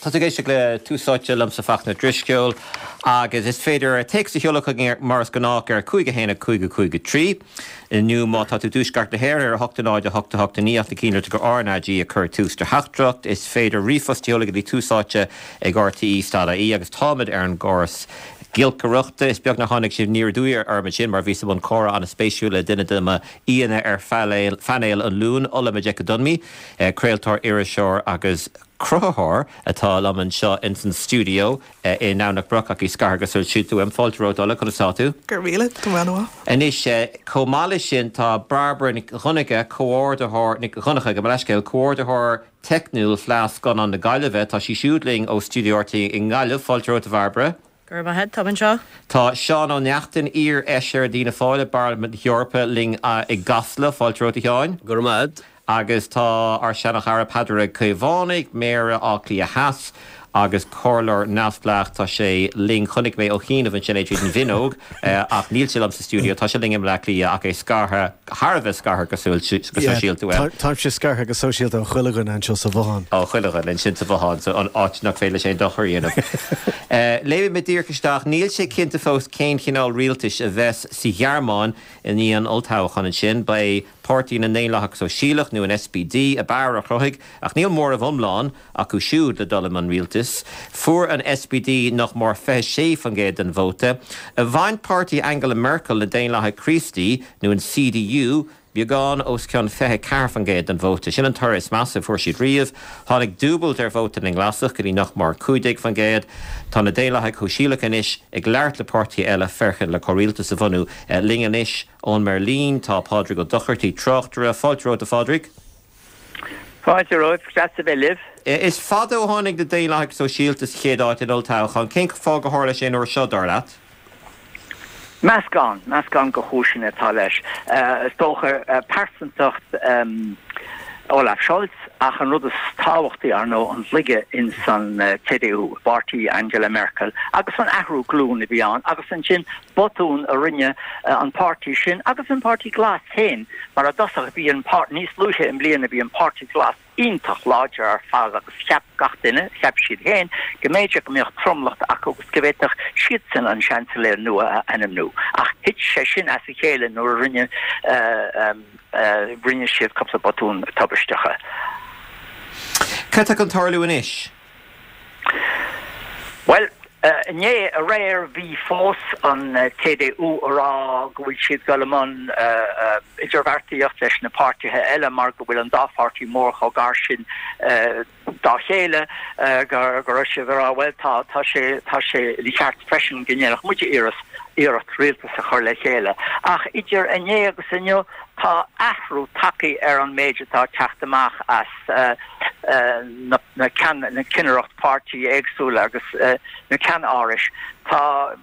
Tá tú ag éisteacht le Tús Áite liomsa Fachtna Drisceoil agus is féidir téacs a sheoladh chugainn mar is gnách ar 5 1 5 5 3 nó má tá tú i dtuaisceart na hÉireann ar 8 0 8 8 9 ach ná déan dearmad gur RnaG a cuir tús do theachtaireacht. Is féidir ríomhphost a sheoladh go dtí Tús Áite ag rte.ie agus táimid ar an gcóras giolcaireachta. Is beag nár tháinig sibh aniar aduaidh orm ansin mar bhíos i mbun comhrá an-spéisiúil le duine de mo aíonna ar phainéal an Luain, Ola Majekodunmi, craoltóir, iriseoir agus cruthaitheoir atá liom anseo ins an stiúideo i nDomhnach Broc ach í scartha go sóisialta uaim. Fáilte romhat Ola, conas tá tú? Go raibh míle, tá mé an-mhaith. Anois, chomh maith leis sin tá Bairbre Nic Dhonncha, comhordaitheoir, Nic Dhonncha, gabh mo leithscéal, comhordaitheoir teicniúil Fleadh Scannán na Gaillimhe, tá sí siúd linn ó stiúideo RTÉ i nGaillimh. Fáilte romhat a Bhairbre. Go raibh maith agat, táim anseo. Tá Seán Ó Neachtain, iar-fheisire d'Fhianna Fáil i bParlaimint na hEorpa linn i gCasla. Fáilte romhat a Sheáin. Go raibh maith agat. Agus tá ár seana-chara Peadar Ó Caomhánaigh, Méara Átha Cliath Theas agus Comhairleoir neamhspleách, tá sé linn, chonaic mé ó chianaibh ansin é tríd an bhfuinneog ach níl sé liom sa stiúideo, tá sé linn i mBleá Cliath ach é scartha, thar a bheith scartha go sóisialta uaim. Táimse scartha go sóisialta ó chuile dhuine anseo sa bhothán. Ó chuile dhuine ansin sa bhothán, so an áit nach féidir leis aon dochar a dhéanamh. Léimfidh mé díreach isteach, níl sé cinnte fós cén chineál rialtais a bheas sa Ghearmáin i ndiaidh an olltoghcháin ansin. Ba é Páirtí na nDaonlathach Sóisialach, nó an SPD, ab fhearr a chruthaigh, ach níl móramh iomlán acu siúd le dul i mbun rialtais. Fuair an SPD nach mór 26% den vóta. Bhain páirtí Angela Merkel, na Daonlathaigh Chríostaí, nó an CDU, beagán os cionn 24% den vóta. Sin an toradh is measa a fuair siad riamh. Tháinig dúbailt ar vóta na nGlasach go dtí nach mór 15%. Tá na Daonlathaigh Shóisialacha anois ag labhairt le páirtithe eile féachaint le comhrialtas a bhunú. Linn anois Ón mBeirlín tá Pádraig Ó Dochartaigh, tráchtaire. Fáilte romhat a Phádraig. Fáilte romhaibh, deas a bheith libh. Is fada ó tháinig na Daonlathaigh Sóisialta sa chéad áit in olltoghchán. Cén fáth gur tharla sé an uair seo, dar leat? Meascán, meascán de chúiseanna atá leis. Is dócha pearsantacht Olaf Scholz ach an rud is tábhachtaí, ar ndóigh, an laige ins an CDU, i bpáirtí Angela Merkel, agus an athrú glún a bhí ann agus ansin botún a rinne an páirtí sin agus an Páirtí Glas féin, mar i dtosach bhí an páirtí, níos luaithe i mbliana bhí an Páirtí Glas iontach láidir ar fad agus cheap gach duine, cheap siad féin, go mb'fhéidir go mbeadh tromlach acu agus go bhféadfadh siadsan an Seansailéir nua a ainmniú. Ach thit sé sin as a chéile nuair a rinne rinne siad cúpla botún tubaisteacha. Cad tá chun tarlú anois? Bhuel, inné, aréir, bhí fós an CDU a rá go bhfuil siad dul i mbun idirbheartaíocht leis na páirtithe eile mar go bhfuil an dá pháirtí mór chomh gar sin dá chéile go raibh siad a rá, bhuel, tá, tá sé, tá sé ina cheart freisin go ndéanfadh muide iarracht, iarracht rialtas a chur le chéile. Ach idir inné agus inniu, tá athrú tagtha ar an méid atá ag teacht amach as na cinnireacht páirtí éagsúla agus na ceannárais. Tá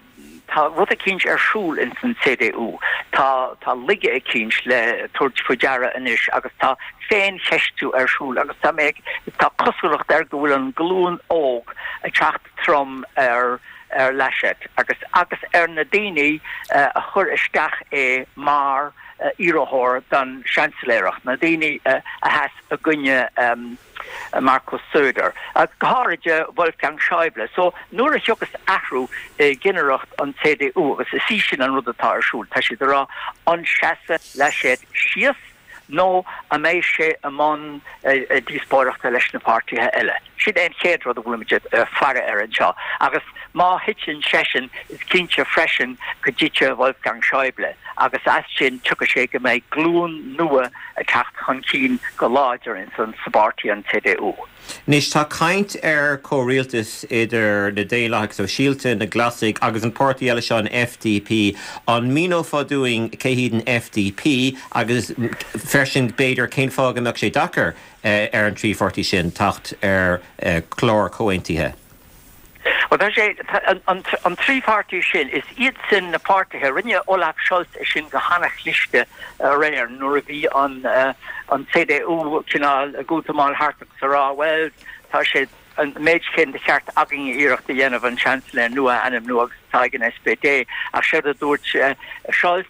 tá rud eicínt ar siúl ins an CDU. Tá tá laige eicínt le tabhairt faoi deara anois agus tá féincheistiú ar siúl agus tá mé tá cosúlacht air go bhfuil an glúin óg ag teacht trom ar ar Laschet agus agus ar na daoine a chuir isteach é mar iarrthóir don seansailéireacht, na daoine a sheas i gcoinne Markus Söder, go háirithe Wolfgang Schäuble. So nuair a thiocfas athrú i gcinnireacht an CDU, agus is í sin an rud atá ar siúl, tá siad ag rá, an seasfaidh Laschet síos nó an mbeidh sé i mbun díospóireachta leis na páirtithe eile? Sin é an chéad rud a bhfuilimid ag faire air anseo. Agus má thiteann seisean, is cinnte freisin go dtitfidh Wolfgang Schäuble agus as sin tiocfaidh sé go mbeidh glúin nua ag teacht chun cinn go láidir ins an sa bpáirtí an CDU. Anois tá caint ar chomhrialtas idir na Daonlathaigh Sóisialta, na Glasaigh agus an páirtí eile seo, an FDP. An míneofá dúinn cé hiad an FDP agus freisin b'fhéidir cén fáth go mbeadh sé deacair ar an dtrí pháirtí sin teacht ar chlár comhaontaithe? Bhuel, tá sé, an trí pháirtí sin, is iad sin na páirtithe, rinne Olaf Scholz é sin go hana-chliste aréir nuair a bhí an an CDU cineál ag útamáil thart agus a rá, bhuel, tá sé an méid céanna de cheart againn iarracht a dhéanamh an Seansailéir nua a ainmniú agus atá ag an SPD. Ach séard a dúirt Scholz,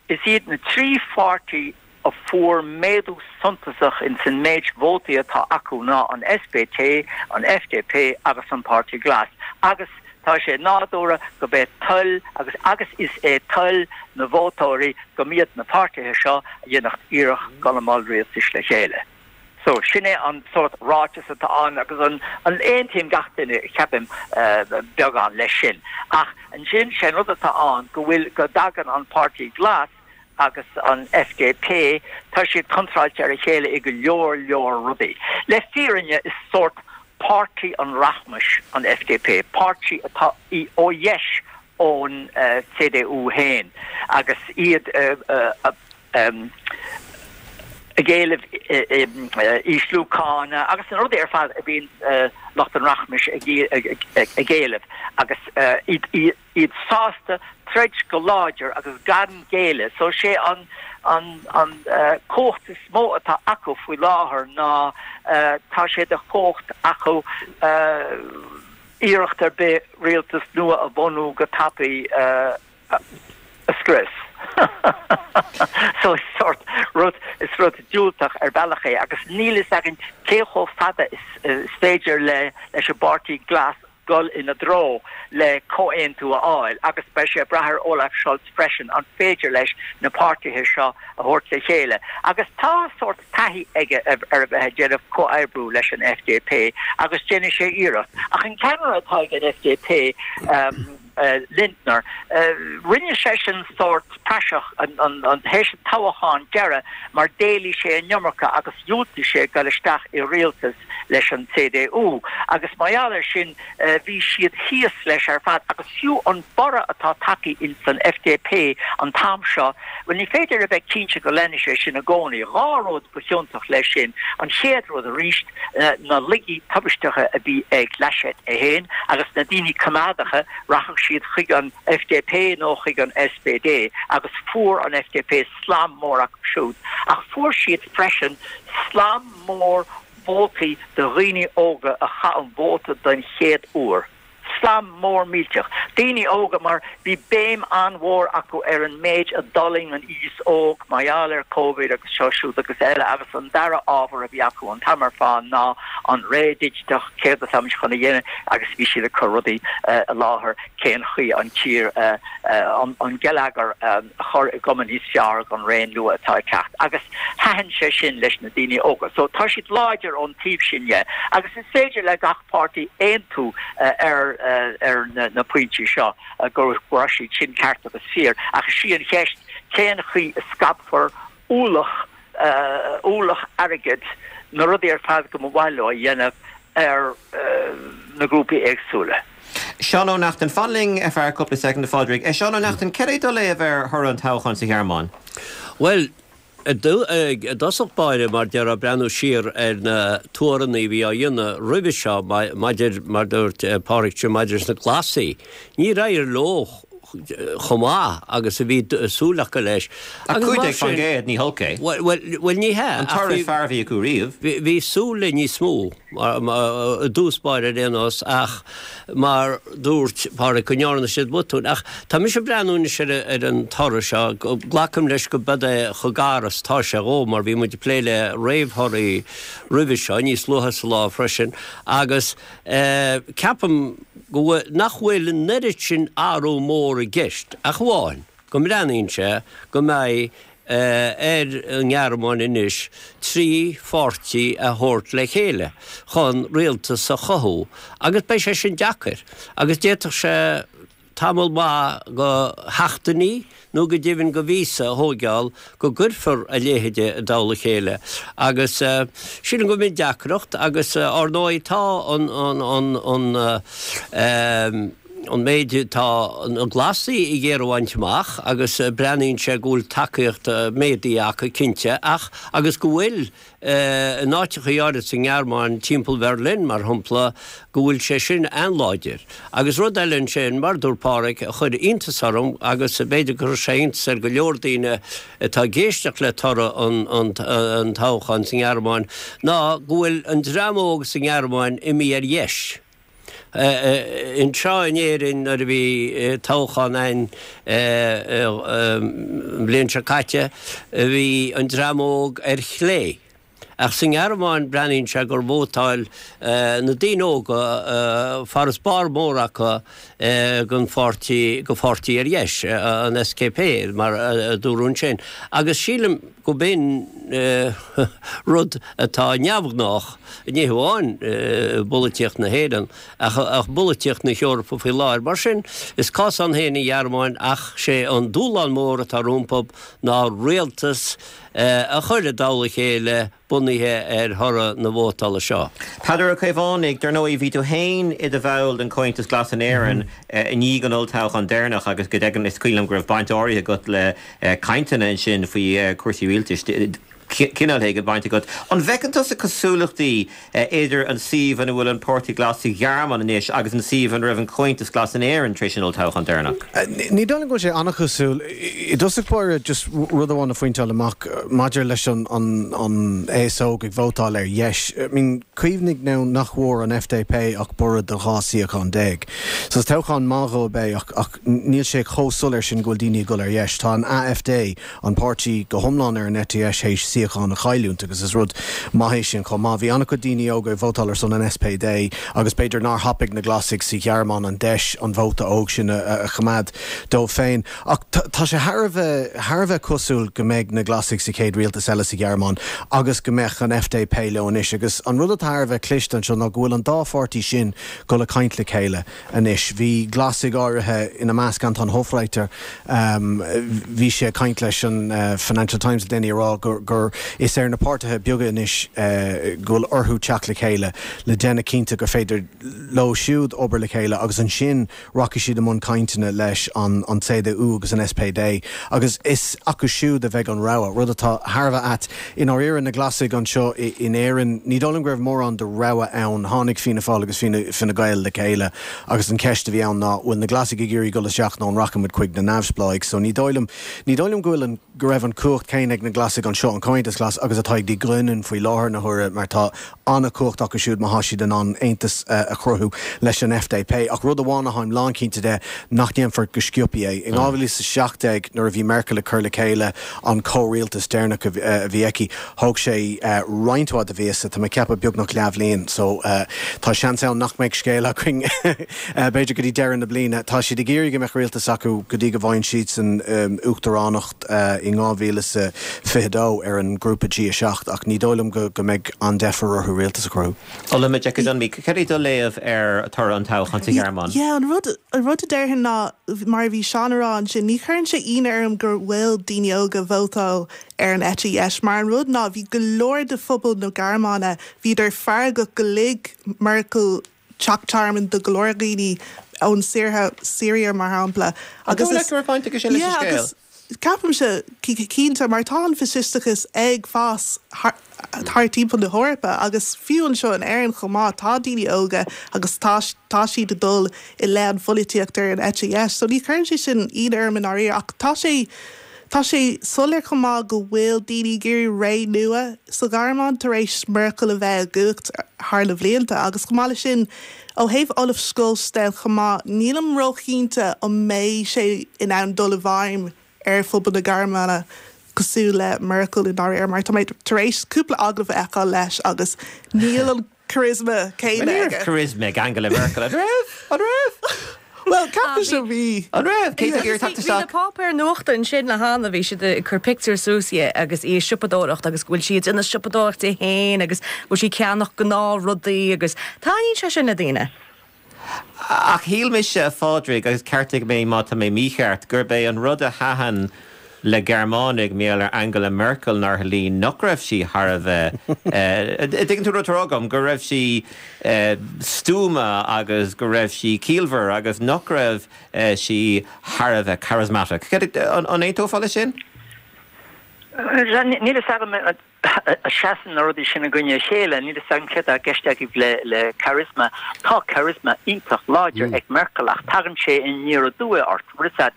is iad na trí pháirtí. a fuair méadú suntasach ins an méid vótaí atá acu ná an SPD, an FDP agus an Páirtí Glas agus tá sé nádúrtha go b'é toil agus agus is é toil na vótóirí go mb'iad na páirtithe seo a dhéanfadh iarracht dul i mbun rialtais le chéile. So, sin é an sórt ráiteas atá ann agus an aontaím gach duine, ceapaim, beagán leis sin. Ach ansin, sé an rud atá ann go bhfuil, go dtagann an Páirtí Glas agus an FDP, tá siad contráilte ar a chéile i go leor leor rudaí. Le fírinne, is sórt páirtí an rachmais an FDP, páirtí atá ó dheis ón CDU féin agus iad ag éileamh ísliú cána agus na rudaí ar fad a bhíonn lucht an rachmais ag éileamh agus iad sásta troid go láidir agus gan géilleadh. So sé an an cumhacht is mó atá acu faoi láthair ná tá sé de chumhacht acu iarracht ar bith rialtas nua a bhunú go tapaidh a scrios. So is sórt rud, is rud diúltach ar bhealach é agus níl fhios againn cé chomh fada is féidir le leis an bPáirtí Glas dul ina dtreo le comhaontú a fháil agus beidh sé ag brath ar Olaf Scholz freisin an féidir leis na páirtithe seo a thabhairt le chéile agus tá sórt taithí aige ar a bheith ag déanamh comhoibriú leis an FDP agus déanfaidh sé iarracht. Ach an ceannaire atá ag an FDP, Lindner, rinne seisean sórt praiseach théis an toghacháin deiridh mar d'éiligh sé an iomarca agus dhiúltaigh sé dul isteach i rialtas leis an CDU agus mar gheall air sin bhí siad thíos leis ar fad agus fiú an borradh atá tagtha ins an FDP an t-am seo, bhuel ní féidir a bheith cinnte go leanfaidh sé sin i gcónaí. 2 rud ba chiontach leis sin, an chéad rud arís, na laigí tubaisteacha a bhí ag Laschet é féin agus na daoine coimeádacha, rachadh siad chuig an FDP nó chuig an SPD agus fuair an FDP slam mór acu siúd. Ach fuair siad freisin slam mór vótaí de dhaoine óga a chaith an vóta den chéad uair. Slam mór millteach. Daoine óga mar bhí béim an-mhór acu ar an méid a d'fhulaing an aos óg mar gheall ar Covid agus seo siúd agus eile agus an dara ábhar a bhí acu an t-am ar fad ná an ré digiteach, céard atáimid chun a dhéanamh agus bhí siad ag cur rudaí i láthair cén chaoi an tír an geilleagar a chur i gcuma níos fearr don ré nua atá ag teacht agus thaitin sé sin leis na daoine óga. So tá siad láidir ón taobh sin dhe agus is féidir le gach páirtí aontú ar ar na pointí seo go raibh siad sin ceart agus fíor ach is í an cheist cén chaoi a scaipfear ualach ualach airgid na rudaí ar fad go mba mhaith leo a dhéanamh ar na grúpaí éagsúla. Seán Ó Neachtain, Fan linn ar feadh cúpla soicind, a Phádraig. Seán Ó Neachtain, cad é do léamh ar thoradh an toghcháin sa Ghearmáin? Bhuel, i dtosach báire, mar déarfá, breathnú siar ar na tuaranna a bhí á dhéanamh roimhe seo maidir, mar dúirt Pádraig, maidir leis na Glasaigh, níor éirigh leo chomh maith agus a bhí súil acu leis. Ach 15%, ní holc é. Bhuel, ní hea. An toradh is fearr a bhí acu riamh. Bhí súil le níos mó i dtús báire ar aon nós ach mar dúirt Pádraig go ndearna siad botúin. Ach tá mise ag breathnú anois ar an toradh seo, glacaim leis go b'ead é chomh gar is atá sé dhó mar bhí muid ag plé le réamhthorthaí roimhe seo, níos luaithe sa lá freisin, agus ceapaim go bhfuil, nach bhfuil an oiread sin athrú mór i gceist ach amháin go mbreathnaíonn sé go mbeidh ar an nGearmáin anois 3 pháirtí a thabhairt le chéile chun rialtas a chothú agus beidh sé sin deacair agus d'fhéadfadh sé tamall maith go sheachtainí nó go deimhin go mhíosa a thóigeáil go gcuirfear a leithéid i dtoll a chéile agus sílim go mb'in deacracht agus ár ndóigh tá an an an an méid atá na Glasaigh ag iarraidh a bhaint amach agus breathnaíonn sé go bhfuil tacaíocht méadaithe acu cinnte ach agus go bhfuil in áiteachaí áirid sa nGearmáin, timpeall Bherlin mar shampla, go bhfuil sé sin an-láidir. Agus rud eile ansin, mar a dúirt Páraic, a chuir iontas orm agus b'fhéidir gur chuir sé iontas ar go leor daoine atá ag éisteacht le toradh an toghcháin sa nGearmáin, ná go bhfuil an dream óg sa nGearmáin imithe ar dheis. Anseo in Éirinn nuair a bhí toghchán ann an bhliain seo caite, bhí an dream óg ar chlé. Ach sa nGearmáin breathnaíonn sé gur vótáil na daoine óga, farasbarr mór acu, don pháirtí, go pháirtí ar dheis, an SKP mar a dúradh ansin. Agus sílim go b'in rud atá neamhghnách, ní hamháin i bpolaitíocht na hÉireann ach i bpolaitíocht na hEorpa faoi láthair. Mar sin, is cás ann féin an Ghearmáin ach sé an dúshlán mór atá rompu ná rialtas a chur i dtoll a chéile bunaithe ar thoradh na vótála seo. Peadar Ó Caomhánaigh, Dar ndóigh, bhí tú féin i do bhall den Chomhaontas Glas in Éirinn i ndiaidh an olltoghcháin deireanach agus go deimhin is cuimhin liom go raibh baint áirithe agat le cainteanna ansin faoi chúrsaí rialtais, cineál éigin baint agat. An bhfeiceann tusa cosúlachtaí idir an suíomh ina bhfuil an Páirtí Glas sa Ghearmáin anois agus an suíomh ina raibh an Comhaontas Glas in Éirinn tar éis an olltoghcháin deireanach. Ní dóigh liom go bhfuil sé an-chosúil. I dtosach báire, just rud amháin a phointeáil amach maidir leis an aos óg ag vótáil ar dheis. I mean, cuimhnigh now nach bhfuair an FDP ach borradh de 12 suíochán. So is toghchán maith dhóibh é ach níl sé chomh soiléir sin go bhfuil daoine ag dul ar dheis. Tá an AfD, an páirtí go hiomlán ar an eite dheis théis suíochán a chailliúint agus is rud maith é sin chomh maith. Bhí an-chuid daoine óga ag vótáil ar son an SPD agus b'fhéidir nár thapaigh na Glasaigh sa Ghearmáin an deis an vóta óg sin a choimeád dóibh féin. Ach tá sé thar a bheith thar a bheith cosúil go mbeidh na Glasaigh sa chéad rialtas eile sa Ghearmáin agus go mbeadh an FDP leo anois. Agus an rud atá thar a bheith cliste anseo ná go bhfuil an dá pháirtí sin dul ag caint le chéile. Anois, bhí Glasaigh áirithe, ina measc Anton Hofreiter, bhí sé ag caint leis an Financial Times le déanaí ag rá gur gur is ar na páirtithe beaga anois go bhfuil orthu teacht le chéile le déanamh cinnte gur féidir leo siúd obair le chéile agus ansin rachaidh siad i mbun cainteanna leis an an CDU agus an SPD agus is acu siúd a bheidh an rogha, rud atá thar a bheith ait. I ndáiríre, na Glasaigh anseo in Éirinn, ní dóigh liom go raibh mórán de rogha ann. Tháinig Fianna Fáil agus Fine Gael le chéile agus an cheist a bhí ann ná, bhfuil na Glasaigh ag iarraidh dul isteach nó an rachaidh muid chuig na neamhspleáigh? So ní dóigh liom, ní dóigh liom go bhfuil an, go raibh an chumhacht chéanna ag na Glasaigh anseo, an Comhaontas Glas, agus atá ag Die Grünen faoi láthair na huaire mar tá an-chumhacht acu siúd má thá siad in ann aontas a chruthú leis an FDP. Ach rud amháin atháim lánchinnte de, nach ndéanfar go sciobtha é. In 2017 nuair a bhí Merkel ag cur le chéile an comhrialtas deireanach a bhí aici, thóg sé roinnt mhaith de mhíosa, tá mé ag ceapadh beagnach leathbhliain, so tá seans ann nach mbeidh scéal againn b'fhéidir go dtí deireadh na bliana. Tá siad ag iarraidh go mbeadh rialtas acu go dtí go bhfaigheann siadsan uachtaránacht in 2022 ar an ngrúpa G7 ach ní dóigh liom go mbeidh an-deifir orthu rialtas a chruthú. Olumide Dúnmí, cad é do léamh ar toradh an toghcháin sa Ghearmáin? Yeah, an rud, an rud a déarfainn ná, mar a bhí Seán a rá ansin, ní chuireann sé ionadh orm go bhfuil daoine óga ag vótáil ar an eite dheis, mar an rud ná bhí go leor de phobal na Gearmáine, bhíodar feargach go lig Merkel teach tearmainn do go leor dhaoine ón Siria, Siria mar shampla, An agus dóigh leat is, go raibh baint aige sin leis an yeah, scéal? agus Ceapaimse, cinnte, mar tá an faisisteachas ag fás thar timpeall na hEorpa agus fiú anseo in Éirinn chomh maith, tá daoine óga agus tá tá siad ag dul i leith an pholaitíocht ar an eite dheis. So ní chuireann sé sin ionadh orm i ndáiríre ach tá sé tá sé soiléir chomh maith go bhfuil daoine ag iarraidh ré nua sa Ghearmáin tar éis Merkel a bheith i gcumhacht thar na bhlianta agus chomh maith leis sin ó thaobh Olaf Scholz de chomh maith, nílim róchinnte an mbeidh sé in ann dul i bhfeidhm ar phobal na Gearmáine cosúil le Merkel i ndáiríre mar tá mé tar éis cúpla agallamh a fheiceáil leis agus níl an charisma céanna Ní raibh aige. charisma ag Angela Merkel, an raibh? An raibh? Bhuel, ceapaimse bhí. An raibh? Cé tá ag iarraidh teacht Bhí na isteach? páipéir nuachta ansin le hAnna, bhí siad ag cur pictiúr suas di agus í ag siopadóireacht agus go bhfuil sí ag déanamh siopadóireacht di féin agus go bhfuil sí ag ceannach gnáthrudaí agus taitníonn sé sin le daoine. Ach shíl mise, a Phádraig, agus ceartaigh mé má tá mé mícheart, gurb é an rud a thaitin le Gearmánaigh mar gheall ar Angela Merkel nár shlí nach raibh sí thar a bheith, dtuigeann tú an rud atá á rá agam, go raibh sí stuama agus go raibh sí ciallmhar agus nach raibh sí thar a bheith charismatic. An aontófá leis sin? Níl a fhios agam. Seasann na rudaí sin i gcoinne a chéile. Níl fhios agam céard atá i gceist agaibh le le charisma. Tá charisma iontach láidir ag Merkel ach tagann sé aniar aduaidh ort. Bhfuil fhios agat,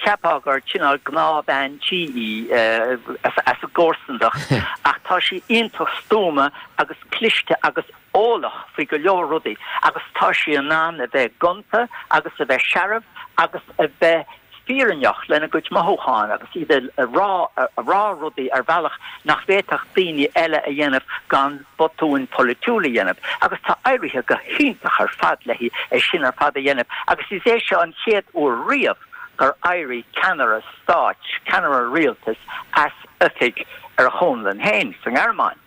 cheapfá gur cineál gnáthbhean tí í as an gcomharsanacht ach tá sí iontach stuama agus cliste agus eolach faoi go leor rudaí agus tá sí in ann a bheith gonta agus a bheith searbh agus a bheith fírinneach lena gcuid mothúchán agus iad a rá, a rá rudaí ar bhealach nach bhféadfadh daoine eile a dhéanamh gan botúin pholaitiúil a dhéanamh. Agus tá éirithe go hiontach ar fad léi é sin ar fad a dhéanamh agus is é seo an chéad uair riamh gur éirigh ceannaire stáit, ceannaire rialtais as oifig ar a chonlán féin sa nGearmáin.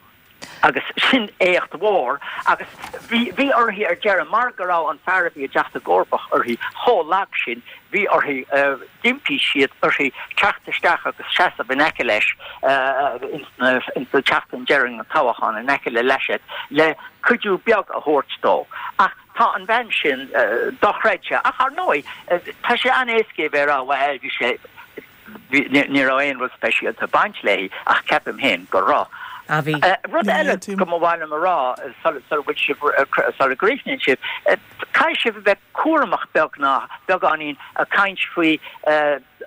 Agus sin éacht mhór. Agus bhí, bhí uirthi ar deireadh, mar go raibh an fear a bhí ag teacht i gcomharbacht uirthi chomh lag sin, bhí uirthi, d'impigh siad uirthi teacht isteach agus seasamh in aice leis ins na, ins an tseachtain deiridh an toghcháin, in aice le Laschet, le cuidiú beag a thabhairt dó. Ach tá an bhean sin dochreidte. Ach ar ndóigh, tá sé an-éasca a bheith ag rá, bhuel, bhí sé, Ní raibh aon rud speisialta ag baint léi ach ceapaim féin go raibh. Ah bhí. Rud eile go mba mhaith liom a rá sula bhfuil sibh, sula gcríochnaíonn sibh, caithfidh sibh a bheith cúramach beagnach, beagáinín ag caint faoi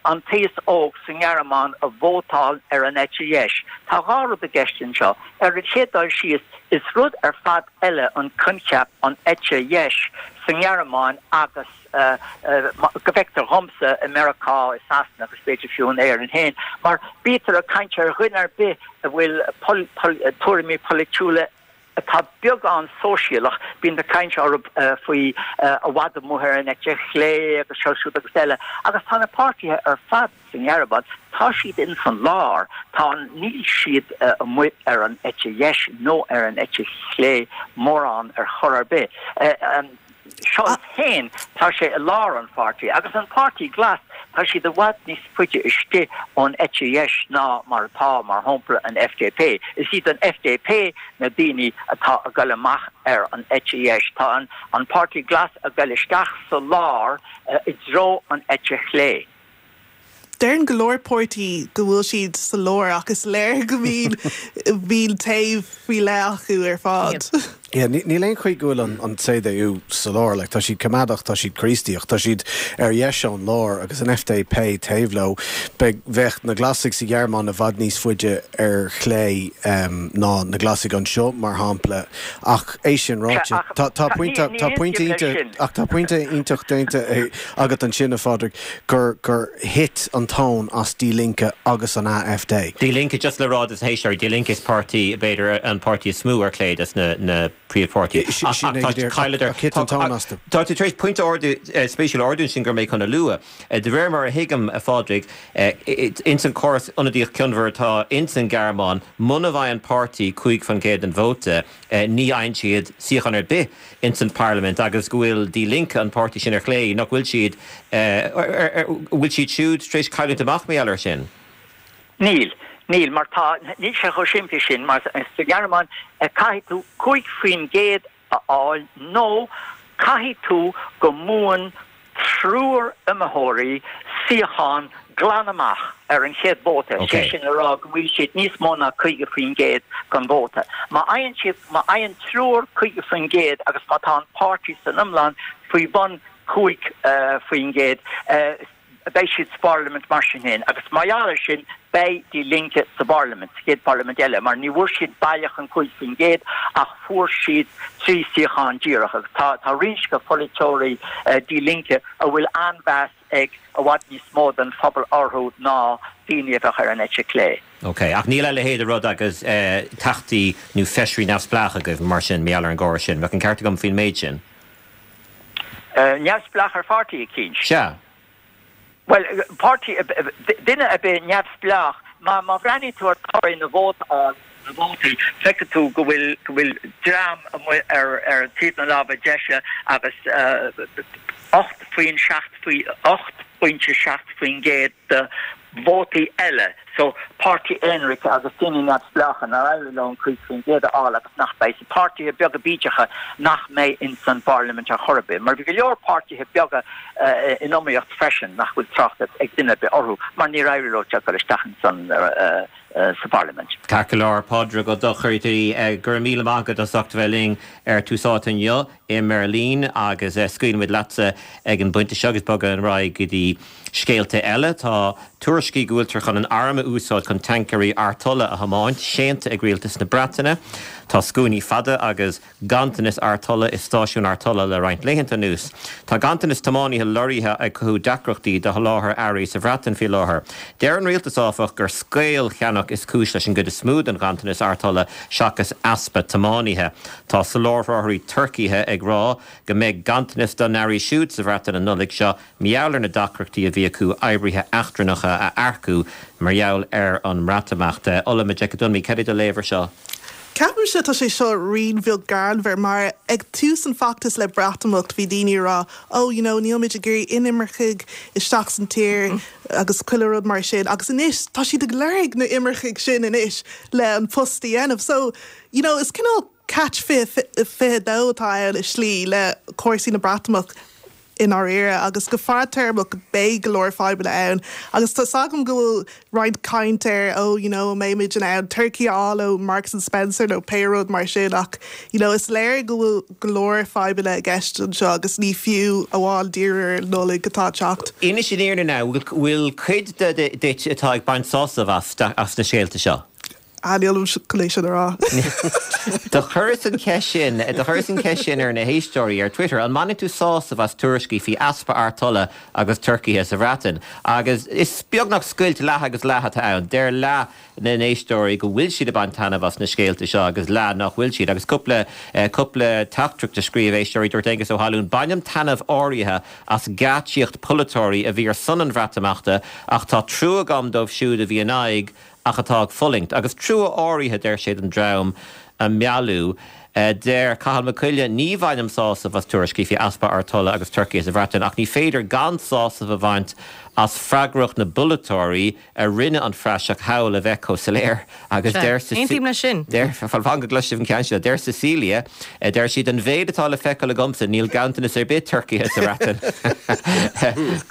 an t-aos óg sa nGearmáin a vótáil ar an eite dheis. Tá dhá rud i gceist anseo. Ar an chéad dul síos, is rud ar fad eile an coincheap an eite dheis sa nGearmáin agus, go bhfeictear dhomsa i Meiriceá, i Sasana agus b'fhéidir fiú in Éirinn féin, mar bítear ag caint ar dhuine ar bith a bhfuil tuairimí polaitiúla atá beagán sóisialach, bíonn ag caint orthu faoi i bhfad amuigh ar an eite chlé agus seo siúd agus eile. Agus tá na páirtithe ar fad sa nGearmáin, tá siad ins an lár, tá, níl siad amuigh ar an eite dheis nó ar an eite chlé mórán ar chor ar bith. Scholz féin, tá sé i lár an pháirtí, agus an Páirtí Glas, tá siad i bhfad níos faide istigh ón eite dheis ná mar atá, mar shampla, an FDP. Is iad an FDP na daoine atá ag goil amach ar an eite dheis. Tá an Páirtí Glas ag goil isteach sa lár i dtreo an eite chlé. Deireann go leor páirtí go bhfuil siad sa lár ach is léir go mbíonn bíonn taobh faoi leith acu ar fad. Yeah, níl aon chaoi go bhfuil an CDU sa lár, like, tá siad coimeádach, tá siad Críostaíoch, tá siad ar dheis ón lár agus an FDP taobh leo. Beidh, bheadh na Glasaigh sa Ghearmáin i bhfad níos faide ar chlé ná na Glasaigh anseo, mar shampla. Ach é sin ráite, tá, tá pointe, tá pointe iontach, ach tá pointe iontach déanta agat ansin, a Phádraig. gur gur thit an tóin as Die Linke agus an AfD. Die Linke, just le rá dos na héisteoirí, Die Linke is páirtí, b'fhéidir, an páirtí is mó ar chlé des na na príomhpháirtithe. Ach Sin é go tá díreach, cailleadar. ach thit an tóin astu. Tá tú tar éis pointe ardú, spéisiúil a ardú ansin go raibh mé chun a lua. De réir mar a thuigim, a Phádraig, ins an córas ionadaíoch cionmhar atá ins an Ghearmáin, muna bhfaigheann páirtí 5% den vóta, ní fhaigheann siad suíochán ar bith ins an bparlaimint agus go bhfuil Die Linke, an páirtí sin ar chlé, nach bhfuil siad, bhfuil siad siúd tar éis cailliúint amach mar gheall air sin? Níl. Níl, mar tá, níl sé chomh simplí sin, mar sa Ghearmáin caithfidh tú 5% a fháil nó caithfidh tú go mbuann triúr iomaitheoirí suíochán glan amach ar an chéad vóta, sé sin le rá go bhfuil siad níos mó ná 50% den vóta. Má fhaigheann siad, má fhaigheann triúr 50% agus má tá an páirtí san iomlán faoi bhun 5%, beidh siad sa bparlaimint mar sin féin agus mar gheall air sin beidh Die Linke sa bparlaimint, sa chéad pharlaimint eile, mar ní bhfuair siad baileach an 5% ach fuair siad 3 suíochán díreach agus tá tá roinnt de pholaiteoirí Die Linke a bhfuil an-mheas ag i bhfad níos mó den phobal orthu ná daoine a bheadh ar an eite chlé. Ok, ach níl a leithéid de rud agus teachtaí nó feisirí neamhspleách agaibh mar sin, mar gheall ar an gcóras sin. Bheadh an ceart agam faoin méid sin? Neamhspleách ar pháirtí eicínt. Sea. Bhuel, páirtí, duine ar bith neamhspleách, má má bhreathnaíonn tú ar toradh na vót na vótaí, feicfidh tú go bhfuil go bhfuil dream amuigh ar ar taobh na láimhe deise agus 8 faoin 7 faoi 8.7% de vótaí eile. So, páirtí aonraic agus daoine neamhspleácha nár éirigh leo an 5% a fháil agus nach beidh, páirtithe beaga bídeacha nach mbeidh ins an bparlaimint ar chor ar bith. Mar bhí go leor páirtithe beaga in iomaíocht freisin nach bhfuil trácht ag duine ar bith orthu mar níor éirigh leo dul isteach ins an sa bparlaimint. Ceart go leor, Pádraig Ó Dochartaigh, go raibh míle maith agat as ucht a bheith linn ar Tús Áite inniu i mBeirlín agus scaoilfimid leatsa ag an bpointe seo agus bogadh ar aghaidh go dtí scéalta eile. Tá tuairiscí go bhfuiltear chun an arm a úsáid chun tancaeirí artola a thiomáint séanta ag rialtas na Breataine. Tá scuainí fada agus ganntanas artola i stáisiúin artola le roinnt laethanta anuas. Tá ganntanas tiománaithe lorraithe ag cothú deacrachtaí do sholáthar earraí sa Bhreatain faoi láthair. Deir an rialtas, áfach, gur scaollcheannach is cúis leis an gcuid is mó den ghanntanas artola seachas easpa tiománaithe. Tá soláthróirí turcaithe ag rá go mbeidh ganntanas dá n-earraí siúd sa Bhreatain an Nollaig seo mar gheall ar na deacrachtaí a bhí acu oibrithe eachtrannacha a earcú mar gheall ar an mBreatimeacht. Ola Majekodunmi, cad é do léamh ar seo? Ceapaimse tá sé seo rian bheag greannmhar mar ag tús an feachtas le Breatimeacht bhí daoine ag rá oh you know níl muid ag iarraidh inimircigh isteach san tír agus chuile rud mar sin agus anois tá siad ag lorg na imircigh sin anois le an post a dhéanamh so you know is cineál catch 22 atá ann i slí le cúrsaí na Breatimeacht i ndáiríre agus go fadtéarmach beidh go leor fadhbanna ann agus tá's agam go bhfuil roinnt caint ar oh you know an mbeidh muid in ann turcaí a fháil ó Marks and Spencer nó pé rud mar sin ach you know is léir go bhfuil go leor fadhbanna i gceist anseo agus ní fiú amháin díriú ar an Nollaig atá ag teacht. Inis an fhírinne now, bhfuil cuid de duit atá ag baint sásamh as as na scéalta seo? Ah, nílim chun é sin a rá. Do chuireas an cheist sin, do chuireas an cheist sin ar na héisteoirí ar Twitter, an mbaineann tú sásamh as tuairiscí faoi easpa artola agus turcaithe sa Bhreatain? Agus is beagnach scoilt leath agus leath atá ann. Deir leath na n-éisteoirí go bhfuil siad ag baint taitneamh as na scéalta seo agus leath nach bhfuil siad. Agus cúpla, cúpla teachtaireacht a scríobh éisteoirí, dúirt Aengus Ó hAllúin, Bainim taitneamh áirithe as geáitsíocht polaiteoirí a bhí ar son an Bhreatimeachta ach tá trua agam dóibh siúd a bhí in aghaidh ach atá ag fulaingt, agus trua áirithe, deir sé, don dream a mealladh. Deir Cathal Mac Coille, Ní bhainim sásamh as tuairiscí faoi easpa artola agus turcaithe sa Bhreatain, ach ní féidir gan sásamh a bhaint as freagracht na bpolaiteoirí a rinne an phraiseach thall a bheith chomh soiléir. Agus deir Sea, aontaím leis sin. Deir, fan go gcloisfidh sibh an ceann seo, deir Cecilia, deir sí, den mhéid atá le feiceáil agamsa, níl ganntanas ar bith turcaithe sa Bhreatain.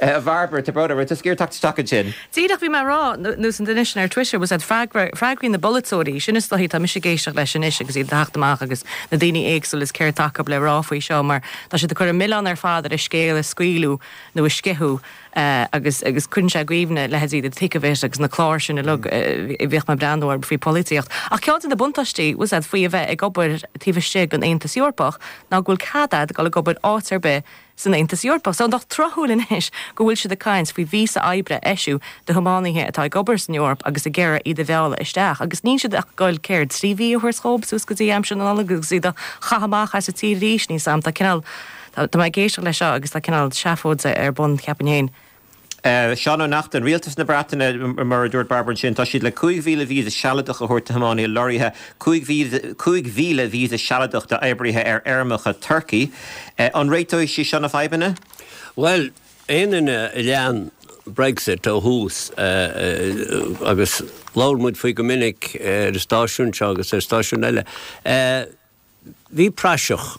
A Bhairbre, tá brón orm, raibh tusa ag iarraidh teacht isteach ansin? Díreach, bhí mé ag rá, nós an duine sin ar Twitter, was that freagra, freagraí na bpolaiteoirí, sin is dóichí, tá mise ag éisteacht leis anois agus iad ag teacht amach agus na daoine éagsúla is céard atá acu le rá faoi seo mar tá siad ag cur an milleán ar fad ar an scéal a scaoileadh nó a sceitheadh agus agus cuireann sé i gcuimhne leithéidí The Thick of It agus na cláir sin uilig a bhíodh mé ag breathnú orthu faoi pholaitíocht. Ach ceann de na buntáistí, was that faoi a bheith ag obair taobh istigh den Aontas Eorpach ná go bhfuil cead agat dul ag obair áit ar bith san Aontas Eorpach. So nach tráthúil anois go bhfuil siad ag caint faoi víosa oibre a eisiú do thiománaithe atá ag obair san Eoraip agus ag iarraidh iad a mhealladh isteach agus níl siad ach ag goil céard, 3 mhí a thabhairt dhóibh suas go dtí aimsir na Nollag agus iad a chaitheamh amach as an tír arís, níl 's a'm, tá cineál, tá mé ag éisteacht leis seo agus tá cineál seafóid ar bun, cheapfainn féin. Seán Ó Neachtain, Rialtas na Breataine, mar a dúirt Bairbre ansin, tá siad le 5,000 víosa sealadach a thabhairt do thiománaithe lorraithe, 5,000 víosa sealadach d'oibrithe ar fheirmeacha turcaí. An réiteoidh sé seo na fadhbanna? Bhuel, aon duine a lean Brexit ó thús, agus labhair muid faoi go minic ar an stáisiún seo agus ar stáisiúin eile, Bhí praiseach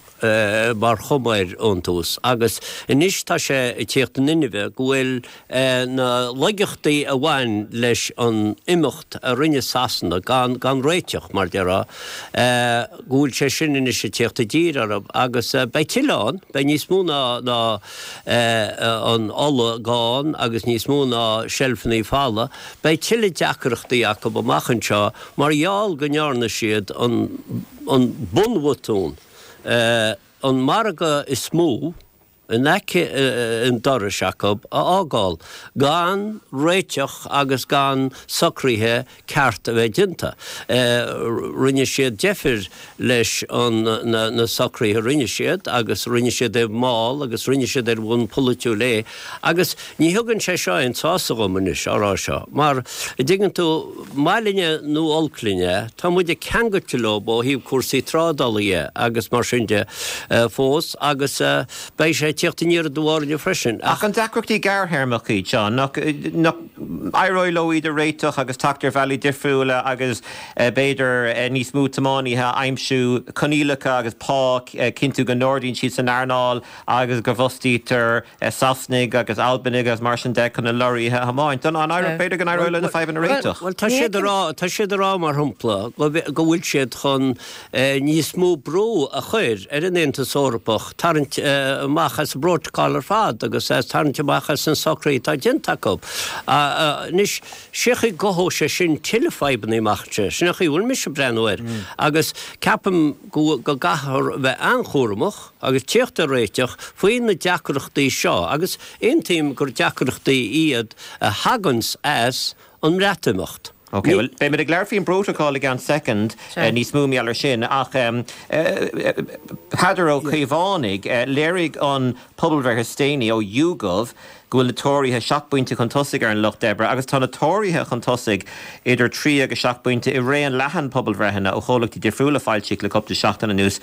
mar chuma air ón tús agus anois tá sé ag tíocht in inmhe go bhfuil na laigeachtaí a bhain leis an imeacht a rinne Sasana gan gan réiteach, mar déarfá, go bhfuil sé sin anois ag tíocht i dtír orthu agus beidh tuilleadh ann, beidh níos mó ná ná an ola gann agus níos mó ná seilfeanna folamh, beidh tuilleadh deacrachtaí acu amach anseo mar gheall go ndearna siad an an bunbhotún, an margadh is mó in aice an dorais acu a fhágáil gan réiteach agus gan socruithe ceart a bheith déanta. Rinne siad deifir leis an na socruithe a rinne siad agus rinne siad é mall agus rinne siad ar bhonn polaitiúil é agus ní thugann sé seo aon sásamh dhom anois á rá seo mar, a dtuigeann tú, maith linne nó olc linne, tá muide ceangailte leo ó thaobh cúrsaí trádála dhe agus mar sin de fós agus beidh sé ag tíocht aniar aduaidh orainne freisin ach. Ach an deacrachtaí gearrthéarmacha iad seo, nach, nach. éireoidh leo iad a réiteach agus teacht ar bhealaí difriúla agus b'fhéidir níos mó tiománaithe a aimsiú, coinníollacha agus pá, cinntiú go n-ardaíonn siad san earnáil agus go bhfostaítear Sasanaigh agus Albanaigh agus mar sin de chun na lorraithe a thiomáint. An éireoidh, b'fhéidir go n-éireoidh leo na fadhbanna a réiteach? Bhuel, tá siad a rá, tá siad a rá mar shampla go bhfuil siad chun níos mó brú a chur ar an Aontas Eorpach tarraingt amach as an bprótacal ar fad agus as tarraingt amach as na socruithe atá déanta acu. Anois, sé an chaoi go gcothóidh sé sin tuilleadh fadhbanna amach anseo, sin an chaoi a bhfuil mise ag breathnú air. Agus ceapaim go gcaithfear a bheith an-chúramach agus tíocht ar réiteach faoi na deacrachtaí seo agus aontaím gur deacrachtaí iad a thaganns as an mBreatimeacht. Ok, bhuel, beimid ag labhairt faoin bprótacal i gceann soicind, níos mó mar gheall air sin, ach Peadar Ó Caomhánaigh, léirigh an pobalbhreith is déanaí ó YouGov go bhfuil na Tóraithe seacht bpointe chun tosaigh ar an Lucht Oibre agus tá na Tóraithe chun tosaigh idir trí agus seacht bpointe i raon leathan pobalbhreitheanna ó chomhlachtaí difriúla a foilsíodh le cúpla seachtain anuas.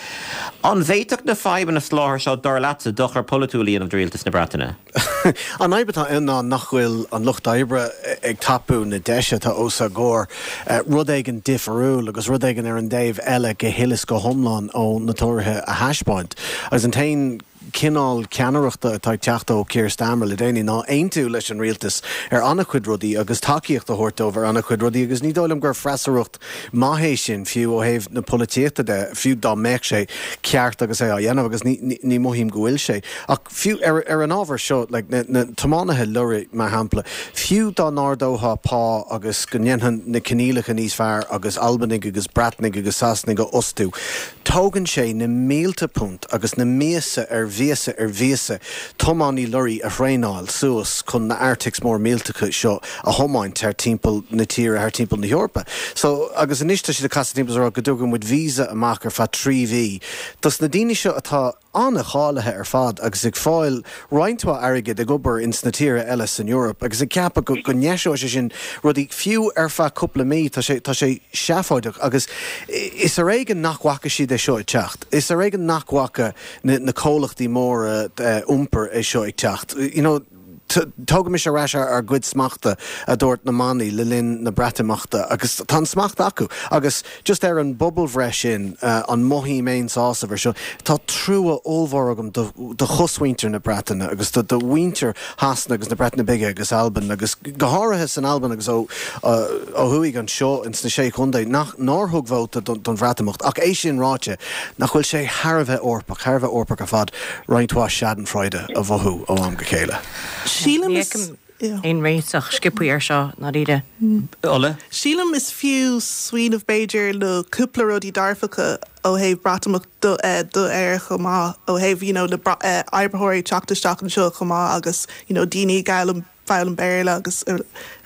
An bhféadfadh na fadhbanna soláthair seo, dar leatsa, dochar polaitiúil a dhéanamh do rialtas na Breataine? An fhadhb atá ann ná nach bhfuil an Lucht Oibre ag tapú na deise atá os a gcomhair rud éigin difriúil agus rud éigin ar an dtaobh eile go huile is go hiomlán ó na Tóraithe a thaispeáint. Agus an t-aon cineál ceannaireachta atá ag teacht ó Keir Starmer le déanaí ná aontú leis an rialtas ar an-chuid rudaí agus tacaíocht a thabhairt dóibh ar an-chuid rudaí agus ní dóigh liom gur freasúracht maith é sin fiú ó thaobh na polaitíochta de, fiú dá mbeadh sé ceart agus é á dhéanamh agus ní mothaím go bhfuil sé. Ach fiú ar ar an ábhar seo, like na na tiománaithe lorraí mar shampla, fiú dá n-ardófá pá agus go ndéanfá na coinníollacha níos fearr agus Albanaigh agus Breatnaigh agus Sasanaigh a fhostú, tógann sé na mílte punt agus na míosa ar mhíosa ar mhíosa tiománaí lorraí a thraenáil suas chun na artics mór millteacha seo a thiomáint thar timpeall na tíre, thar timpeall na hEorpa. So, agus anois tá siad ag casadh timpeall is ag rá go dtugann muid visa amach ar feadh 3 mhí dos na daoine seo atá an-cháilithe ar fad agus ag fáil roinnt mhaith airgid ag obair ins na tíortha eile san Eoraip agus ag ceapadh go go ndeiseoidh sé sin rudaí fiú ar feadh cúpla mí. Tá sé tá sé seafóideach agus is ar éigean nach bhfaca siad é seo ag teacht. Is ar éigean nach bhfaca na na comhlachtaí móra iompair é seo ag teacht. You know, Tógaimis ar ais ár gcuid smachta, a dúirt na manaí le linn na Breatimeachta, agus tá an smacht acu. Agus just ar an bpobalbhreith sin, an mothaím aon sásamh ar seo? Tá trua ollmhór agam do chosmhuintir na Breataine agus do mhuintir Shasana agus na Breataine Bige agus Albain agus go háirithe san Albain agus ó thuaidh anseo ins na Sé Chontae nach nár thug vóta don Bhreatimeacht. Ach é sin ráite, nach bhfuil sé thar a bheith Eorpach, thar a bheith Eorpach ar fad, roinnt mhaith schadenfreude a mhothú ó am go chéile. Sílim is. Ní fheicim aon réiteach sciobthaí ar seo, ndáiríre. Ola? Sílim is fiú smaoineamh b'fhéidir le cúpla rudaí dearfacha ó thaobh Breatimeacht do do Éire chomh maith, ó thaobh you know na oibritheoirí teacht isteach anseo chomh maith agus you know daoine ag foghlaim foghlaim Béarla agus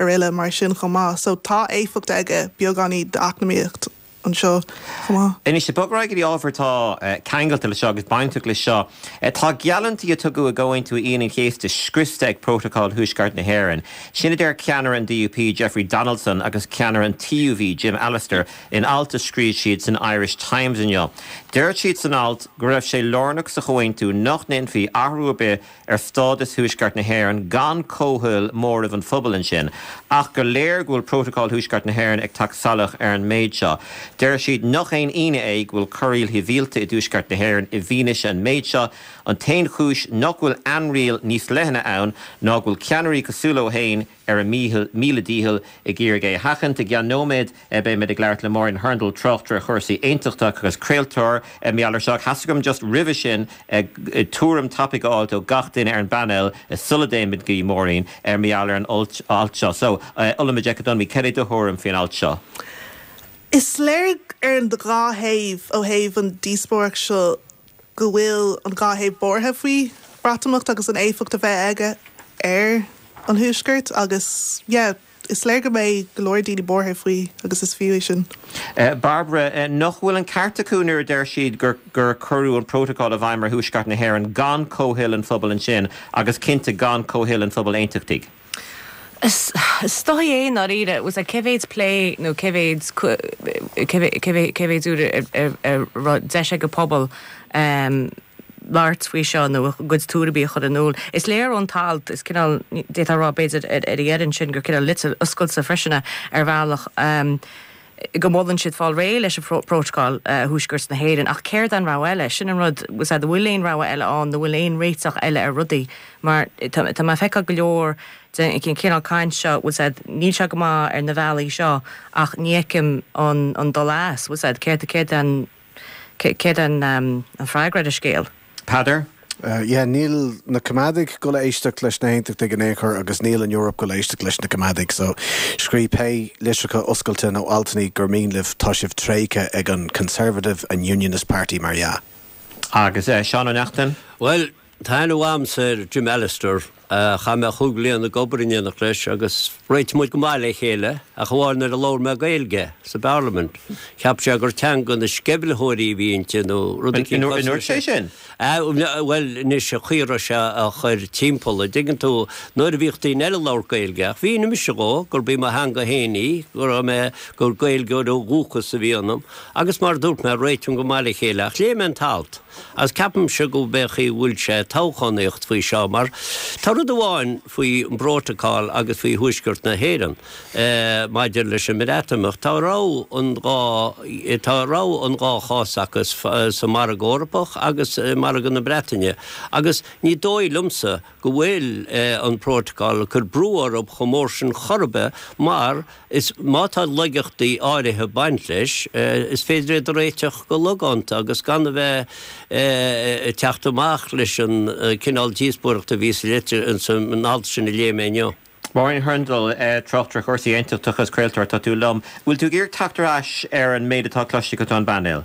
araile mar sin chomh maith. So tá éifeacht aige beagáinín d'eacnamaíocht. anseo chomh maith. Anois, ag bogadh ar aghaidh go dtí ábhar atá ceangailte leis seo agus bainteach leis seo, tá geallúintí a tugadh i gComhaontú Aoine an Chéasta scriosta ag Prótacal Thuaisceart na hÉireann. Sin a deir ceannaire an DUP, Jeffrey Donaldson agus ceannaire an TUV, Jim Allister, in alt a scríobh siad san Irish Times inniu. Deir siad san alt go raibh sé lárnach sa chomhaontú nach ndéanfaí athrú ar bith ar stádas Thuaisceart na hÉireann gan comhthoil móramh an phobail ansin, ach gur léir go bhfuil Prótacal Thuaisceart na hÉireann ag teacht salach ar an méid seo. Deir siad nach aon ionadh é go bhfuil corraíl shibhialta i dTuaisceart na hÉireann i bhfianaise an méid seo. An t-aon chúis nach bhfuil ainriail níos leithne ann ná go bhfuil ceannairí cosúil leo féin ar a míle dícheall ag iarraidh é a sheachaint. I gceann nóiméad beimid ag labhairt le Máirín Hurndall, tráchtaire chúrsaí aontachtach agus craoltóir mar gheall ar seo. Ach theastaigh uaim just roimhe sin tuairim tapaidh a fháilt ó gach duine ar an bpainéal sula dtéimid go dtí Máirín ar mar gheall ar an alt seo. So, Ola Majekodunmi, cad é do thuairim faoin alt seo? Is léir ar an dhá thaobh ó thaobh an díospóireacht seo go bhfuil an dhá thaobh buartha faoi Bhreatimeacht agus an éifeacht a bheidh aige ar an Thuaisceart agus yeah is léir go mbeidh go leor daoine buartha faoi agus is fiú é sin. Barbara, Nach bhfuil an ceart acu nuair a deir siad gur gur cuireadh an prótacal i bhfeidhm ar Thuaisceart na hÉireann gan comhthoil an phobail ansin agus cinnte gan comhthoil an phobail aontachtaigh? Is dóigh é i ndáiríre. Was cé mhéid plé nó cé mhéid cé mhéid uair a raibh deis ag an pobal? labhairt faoi seo nó a gcuid tuairimí a chur in iúl. Is léir ón t-alt, is cineál, d'fhéadfá a rá b'fhéidir ar a dheireadh ansin gur cineál litir oscailte freisin é ar bhealach, go molann siad fáil réidh leis an bprótacal Thuaisceart na hÉireann. Ach céard é an rogha eile? Sin an rud, bhfuil a fhios agat, an bhfuil aon rogha eile ann nó an bhfuil aon réiteach eile ar rudaí? Mar tá mé ag feiceáil go leor den chineál caint seo, bhfuil a fhios agat, níl sé go maith ar na bealaí seo ach ní fheicim an dul as, bhfuil a fhios agat, céard, céard é an. Céard é an freagra ar an scéal? Peadar? Yeah, níl na Coimeádaigh ag dul a éisteacht leis na hAontachtaigh in aon chor agus níl an Eoraip ag dul a éisteacht leis na Coimeádaigh so scríobh pé litreacha oscailte nó altanna gur mian libh, tá sibh tréigthe ag an Conservative and Unionist Party mar dhea. Agus Seán Ó Neachtain? Bhuel, Tá aithne mhaith agamsa ar Jim Allister. Chaith mé chúig bliana ag obair in éineacht leis agus réitigh muid go maith le chéile, ach amháin nuair a labhair mé Gaeilge sa bParlaimint. Cheap sé gur teanga na sceimhlitheoirí a bhí inti nó rud eicínt cosúil leis sin. An ndúirt sé sin? Bhuel, anois, an chaoi a raibh sé á chur timpeall, an dtuigeann tú, nuair a bhíodh daoine eile ag labhairt Gaeilge, ach mhínigh mise dhó gurb í mo theanga féin í, go raibh mé, gur Gaeilgeoir ó dhúchas a bhí ionam, agus mar a dúirt mé, réitigh go maith le chéile. Ach léigh mé an t-alt. Agus ceapaimse go b'é an chaoi a bhfuil sé ag toghchánaíocht faoi seo mar tá rud amháin faoi an bprótacál agus faoi Thuaisceart na hÉireann maidir leis an mBreatimeacht, tá rogha an dhá, tá rogha an dhá chás acu sa margadh Eorpach agus i margadh na Breataine agus ní dóigh liomsa go bhfuil an prótacál ag cur brú orthu chomh mór sin chor ar bith mar is má tá laigeachtaí áirithe ag baint leis, is féidir iad a réiteach go logánta agus gan a bheith ag teacht amach leis an cineál díospóireachta a bhí sa litir, san alt sin a léigh mé inniu. Máirín Hurndall, tráchtaire cúrsaí aontachtacha is craoltóir, tá tú liom. Bhfuil tú ag iarraidh teacht ar ais ar an méid atá cloiste agat ón bpainéal?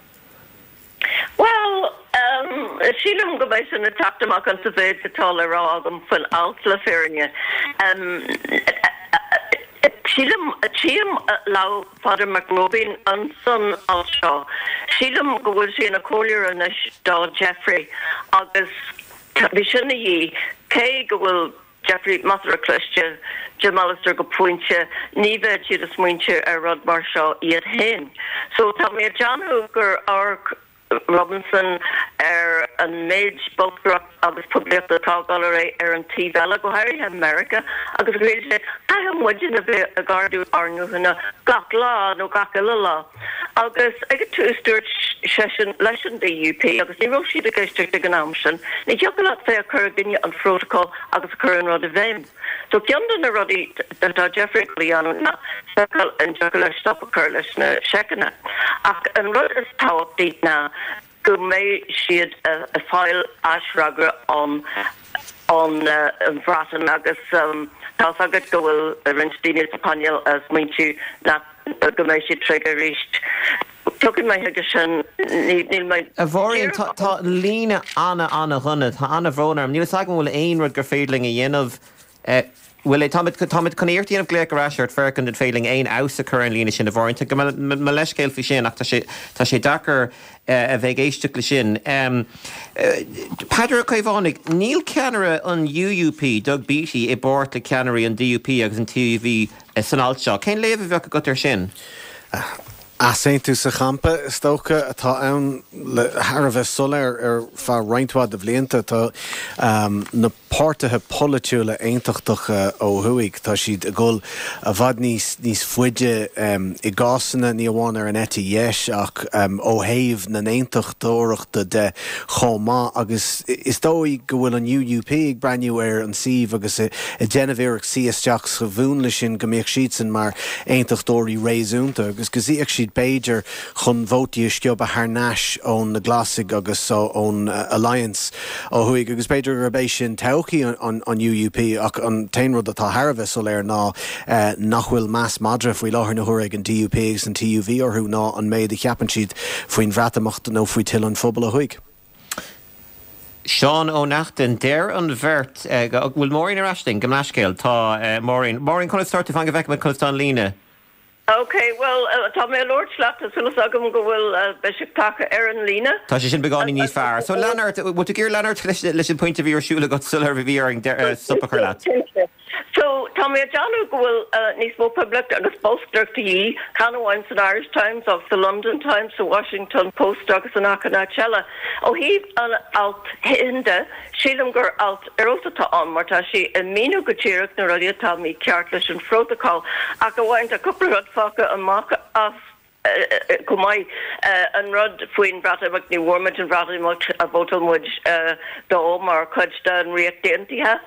Bhuel, sílim go mbeidh sin ag teacht amach insa mhéid atá le rá agam faoin alt, le fírinne. Sílim, tchím lámh Pheadair Mac Róibín insan alt seo. Sílim go bhfuil sé ina chomhairleoir anois do Jeffrey agus bhí sin a dhíth, cé go bhfuil Jeffrey measartha cliste, Jim Allister go pointe, ní bheadh siad ag smaointiú ar rud mar seo iad féin. So tá mé ag déanamh gur amharc Robinson ar an méid bolscaireacht agus poiblíochta atá ag dul ar aghaidh ar an taobh eile, go háirithe i Meiriceá, agus ghlaoigh sé, caithfidh muidne a bheith ag ardú ár nguthanna gach lá nó gach uile lá. Agus ag an tús dúirt seisean leis an DUP, agus ní raibh siad ag éisteacht ag an am sin, ní thiocfadh leat bheith ag cur i gcoinne an phrótacail agus ag cur an rud i bhfeidhm. So ceann de na rudaí atá Jeffrey ag dul a dhéanamh ná feiceáil an dtiocfadh leis stop a chur leis na seiceanna. Ach an rud is tábhachtaí ná go mbeidh siad ag fáil aisfhreagra ón ón Bhreatain agus tá's agat go bhfuil roinnt daoine sa phainéal ag smaointiú nach go mbeidh siad tréigthe arís. Tiocfaidh mé chuige sin, níl mé. A Mháirín, tá an líne ana, ana-dhona. Tá ana-bhrón orm. Níl fhios agam an bhfuil aon rud gur féidir linn a dhéanamh. Bhuel, táimid, táimid chun iarracht a dhéanamh glaoch ar ais ort, féach an féidir linn aon fheabhas a chur ar an líne sin, a Mháirín. Tá mo leithscéal faoi sin ach tá sé, tá sé deacair a bheith ag éisteacht le sin. Peadar Ó Caomhánaigh, níl ceannaire an UUP, Doug Beattie, i bpáirt le ceannairí an DUP agus an TUV san alt seo. Cén léamh a bheadh agat air sin? Easaontú sa champa, is dócha, atá ann le thar a bheith soiléir ar feadh roinnt mhaith de bhlianta. Tá na páirtithe polaitiúla aontachtacha ó thuaidh, tá siad ag dul i bhfad níos níos faide i gcásanna, ní amháin ar an eite dheis ach ó thaobh na n-aontachtóireachta de chomh maith agus is dóigh go bhfuil an UUP ag breathnú ar an suíomh agus ag déanamh iarracht suí isteach sa mhúnla sin go mbeadh siadsan mar aontachtóirí réasúnta agus go suífeadh siad b'fhéidir chun vótaí a sciobadh thar n-ais ón na Glasaigh agus ón Alliance ó thuaidh agus b'fhéidir gurb é sin todhchaí an UUP ach an t-aon rud atá thar a bheith soiléir ná nach bhfuil meas madra faoi láthair na huaire ag an DUP agus an TUV orthu ná an méid a cheapann siad faoin Bhreatimeacht nó faoi toil an phobail ó thuaidh. Seán Ó Neachtain, Deir an bheirt go bhfuil Máirín ar ais linn, gabh mo leithscéal, tá Máirín. Máirín, conas tá tú? Fan go bhfeicfidh muid conas tá an líne. Ok, bhuel, tá mé ag labhairt leat, tá súil agam go bhfuil, beidh sibh tagtha ar an líne. Tá sé sin beagáinín níos fearr. So lean ort, bhfuil tú ag iarraidh lean ort leis an pointe a bhí ar siúl agat sular bhí orainn stop a chur leat? Cinnte. So, tá mé ag déanamh go bhfuil níos mó poiblíocht agus bolscaireacht de dhíth, chan amháin san Irish Times ach sa London Times, sa Washington Post agus in achan áit eile. Ó thaobh an alt féin de, sílim gur alt ar fheabhas atá ann mar tá sé ag míniú go díreach na rudaí atá mícheart leis an phrótacal. Ach amháin tá cúpla rud fágtha amach as. Chomh maith, an rud faoin Bhreatimeacht, ní bhfuair muid an Bhreatimeacht a vótáil muid dó mar chuid den Ríocht Aontaithe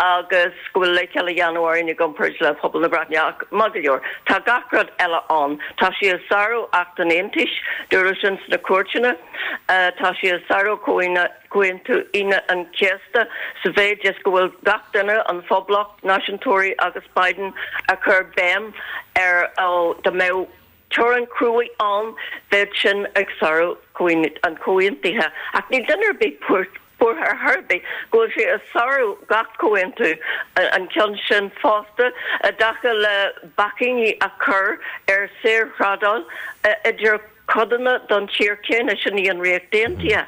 agus go bhfuil leithcheal á dhéanamh orainn i gcomparáid le pobal na Breataine ach maith go leor, tá gach rud eile ann. Tá sé ag sárú Acht an Aontais, dúradh sin sna cúirteanna, tá sé ag sárú Comhaontú Aoine an Chéasta sa mhéid is go bhfuil gach duine, an Phoblacht, náisiúntóirí agus Biden, ag cur béim ar dá mbeadh teorainn cruaidh ann, bheadh sin ag sárú an chomhaontaithe. Ach níl duine ar bith buartha ar chor ar bith go bhfuil sé ag sárú gach comhaontú, an ceann sin fosta, i dtaca le bacainní a chur ar saorthrádáil idir codanna den tír céanna, sin í an Ríocht Aontaithe.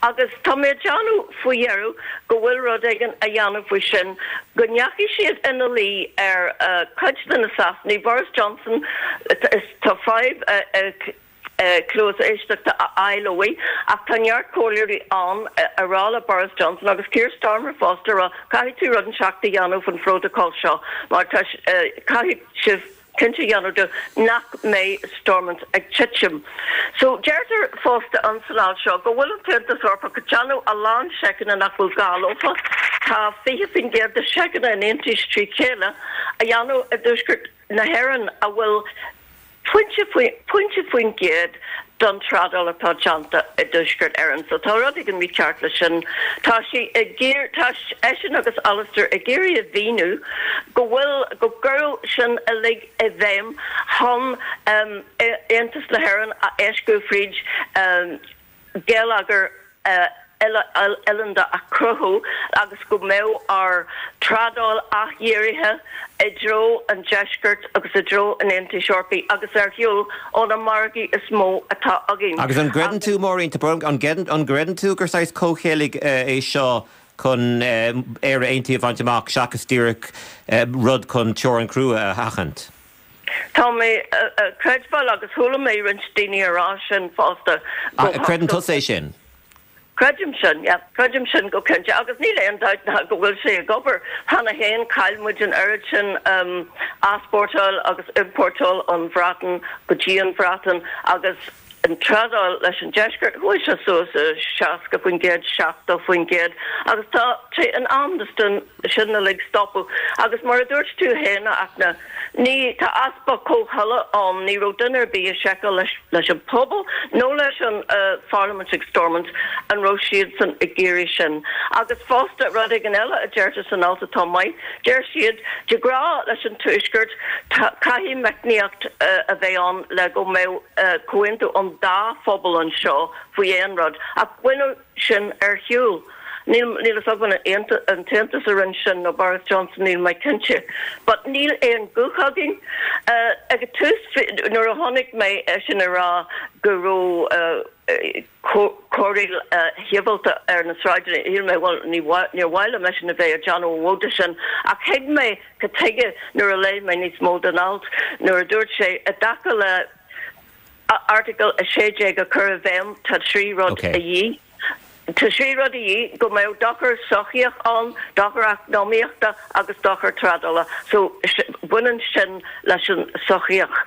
Agus tá mé ag déanamh faoi dheireadh go bhfuil rud éigin á dhéanamh faoi sin, go ndeachaigh siad ina luí ar chuid de na Sasanaigh, Boris Johnson, tá fadhb cluas éisteachta a fháil uaidh, ach tá neart comhairleoirí ann ag rá le Boris Johnson agus Keir Starmer fosta, ag rá caithfidh tú rud inteacht a dhéanamh faoin phrótacal seo mar tá, caithfidh sibh. cinnte a dhéanamh de nach mbeidh Stormont ag titim. So, deirtear fosta in san alt seo go bhfuil an tAontas Eorpach ag déanamh a lán seiceanna nach bhfuil gá leofa, tá 20% de seiceanna an Aontais trí chéile á dhéanamh i dtuaisceart na hÉireann a bhfuil pointe pointe faoin gcéad don trádáil atá déanta i dTuaisceart Éireann. So tá rud éigin mícheart leis sin. Tá sí ag iarr, tá eisean agus Alistair ag iarraidh a mhíniú go bhfuil, go gcuireadh sin uilig i bhfeidhm chun Aontas na hÉireann a éascú fríd geilleagar uile-oileánda a chruthú agus go mbeadh ár dtrádáil athdhírithe i dtreo an deiscirt agus i dtreo an Aontais Eorpaigh agus ar shiúl ó na margaí is mó atá againn. Agus an gcreideann tú, Máirín, tá brón orm, an gcreideann tú gur saghas comhcheilg é seo chun Éire Aontaithe a bhaint amach seachas díreach rud chun teorainn chrua a sheachaint? Tá mé ag creidbheáil, agus chuala mé roinnt daoine a rá sin fosta, go Creideann tusa é sin? Creidim sin, yeah. Creidim sin go cinnte. Agus níl aon dabht ná go bhfuil sé ag obair. Cheana féin, chaill muid an oiread sin easpórtáil agus iompórtáil ón Bhreatain go dtí an Bhreatain agus an trádáil leis an deisceart, chuaigh sé suas 60%, 70% agus tá sé in am don sin uilig stopadh. Agus mar a dúirt tú féin, a Fhachtna, ní, tá easpa comhthola ann, ní raibh duine ar bith ag seiceáil leis, leis an pobal nó leis an pharlaimint ag Stormont an raibh siadsan ag iarraidh sin. Agus fosta, rud éigin eile a deirtear san alt atá maith, deir siad, de ghnáth leis an Tuaisceart, tá, caithfidh meicníocht a bheith ann le go mbeadh comhaontú an dá phobal anseo faoi aon rud. Ach baineadh sin ar shiúl. Níl níl a fhios agam an an tAontas a rinne sin nó Boris Johnson, níl mé cinnte. But níl aon guth againn. Ag an tús nuair a chonaic mé eisean ag rá go raibh corraíl shibhialta ar na sráideanna, shíl mé bhuel ní níor mhaith liom eisean a bheith ag déanamh an vóta sin. Ach thuig mé cad tuige nuair a léigh mé níos mó den alt nuair a dúirt sé i dtaca le Airteagal 16 a chur i bhfeidhm, tá 3 rud a dhíth. Tá 3 rud a dhíth, go mbeadh dochar sochaíoch ann, dochar eacnamaíochta agus dochar trádála. So, baineann sin leis an sochaíoch.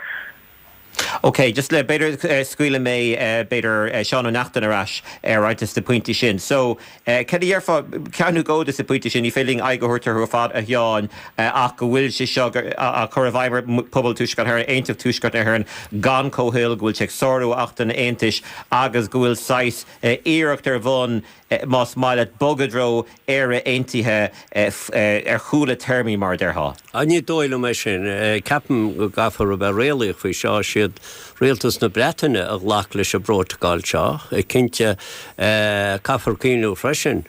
Ok, just le, b'fhéidir scaoilfidh mé b'fhéidir Seán Ó Neachtain ar ais ar roinnt de na pointí sin. So, Cad a déarfá, ceann nó dhó de na pointí sin, ní féidir linn aghaidh a thabhairt orthu ar fad, a Sheáin, ach go bhfuil sé seo á chur i bhfeidhm ar phobal Tuaisceart na hÉireann, aontacht Tuaisceart na hÉireann gan comhthoil, go bhfuil sé ag sárú Acht an Aontais agus go bhfuil saghas iarracht ar bhun, más maith leat, bogadh i dtreo Éire Aontaithe ar chúl a téarmaí, mar a déarfá. Ní dóigh liom é sin. Ceapaim go gcaithfear a bheith réalaíoch faoi seo. Siad. Rialtas na Breataine a ghlac leis an bprótacal seo. Cinnte, caithfear cuimhniú freisin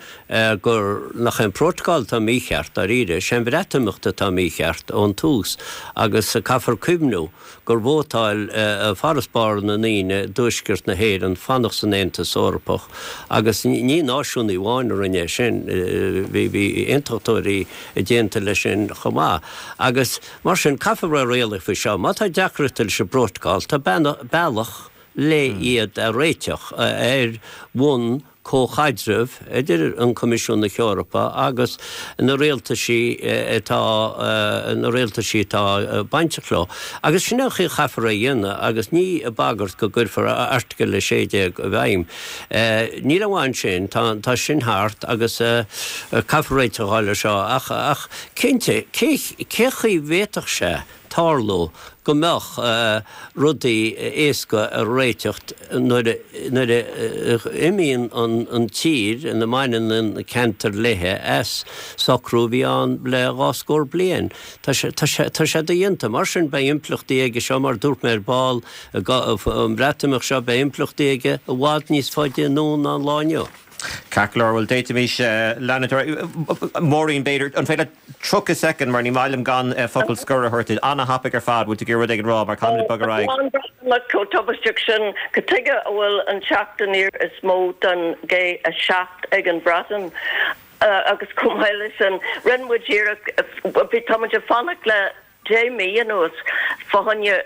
gur nach é an prótacal atá mícheart, dáiríre, sé an Bhreatimeacht atá mícheart ón tús agus caithfear cuimhniú gur vótáil farasbarr na ndaoine i dtuaisceart na hÉireann fanacht san Aontas Eorpach agus ní náisiúnaigh amháin a rinne é sin, bhí aontachtóirí a d'aontaigh leis sin chomh maith. Agus mar sin, caithfear bheith réalaíoch faoi seo. Má tá deacrachtaí leis an bprótacal, tá bealach le iad a réiteach ar bhonn comhchaidreamh idir an Coimisiún na hEorpa agus na rialtaisí atá na rialtaisí atá bainteach leo. Agus sin é an chaoi a chaithfear é a dhéanamh agus ní ag bagairt go gcuirfear Airteagal 16 i bhfeidhm. Níl aon mhaith ansin, tá tá sin thart agus caithfear réiteach a fháil ar seo ach ach cinnte cé cé chaoi bhféadfadh sé tarlú go mbeadh rudaí éasca a réiteach nuair a imíonn an tír ina mbaineann an ceantar léithe as socrú a bhí ann le dhá scór bliain. Tá sé dodhéanta. Mar sin beidh impleachtaí aige seo, mar a dúirt mé ar ball, an Bhreatimeacht seo, beidh impleachtaí aige i bhfad níos faide anonn ná an lá inniu. Ceart go leor, bhuel d'fhéadfaimis leanúint ar aghaidh. Máirín, b'fhéidir, an féidir leat 30 soicind, mar ní maith liom gan focal scoir a thabhairt duit. An-thapaidh ar fad, bhfuil tú ag iarraidh rud éigin a rá, mar caithfimid bogadh ar aghaidh. An Bhreatimeacht chomh tubaisteach sin, cad tuige a bhfuil an teacht aniar is mó don G7 ag an Bhreatain? Agus chomh maith leis sin, rinne muid iarracht, bhí, tá muid ag fanacht le 10 mí anuas fá choinne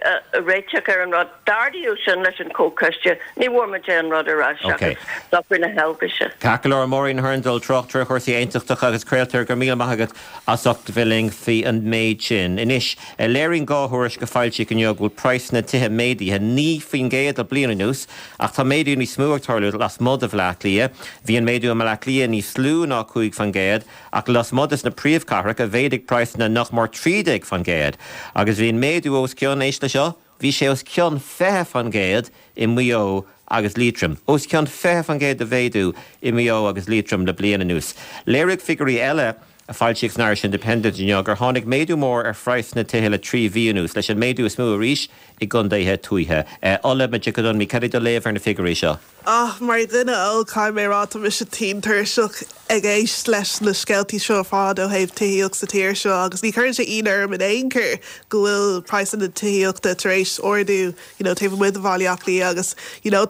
réiteach ar an rud. D'ardaíodh sin leis an Chomhchoiste. Ní bhfuair muid aon rud ar ais seachas socrú na hEilvéise. Ceart go leor, Máirín Hurndall, tráchtaire chúrsaí aontachtacha agus craoltóir, go raibh míle maith agat as ucht bheith linn faoi an méid sin. Anois, léiríonn 2 thuairisc a foilsíodh inniu go bhfuil praghsanna tithe méadaithe 9% le bliain anuas, ach tá méadú níos mó ag tarlú lasmuigh de Bhaile Átha Cliath. Bhí an méadú i mBaile Átha Cliath níos lú ná 5%, Ach lasmuigh des na príomhchathracha, mhéadaigh praghsanna nach mór 13%, agus bhí an méadú os cionn, éist le seo, bhí sé os cionn 20% i Maigh Eo agus Liatroim. Os cionn 20% de mhéadú i Maigh Eo agus Liatroim le bliain anuas. Léirigh figiúirí eile a foilsíodh san Irish Independent inniu gur tháinig méadú mór ar phraghsanna tithe le 3 mhí anuas, leis an méadú is mó arís i gcontaetha tuaithe. Ola Majekodunmi, cad é do léamh ar na figiúirí seo? Ach mar dhuine óg, caithfidh mé a rá, tá mise tinn tuirseach ag éist leis na scéaltaí seo ar fad ó thaobh tithíocht sa tír seo agus ní chuireann sé ionadh orm in aon chor go bhfuil praghsanna tithíochta tar éis ardú you know taobh amuigh de Bhaile Átha Cliath agus you know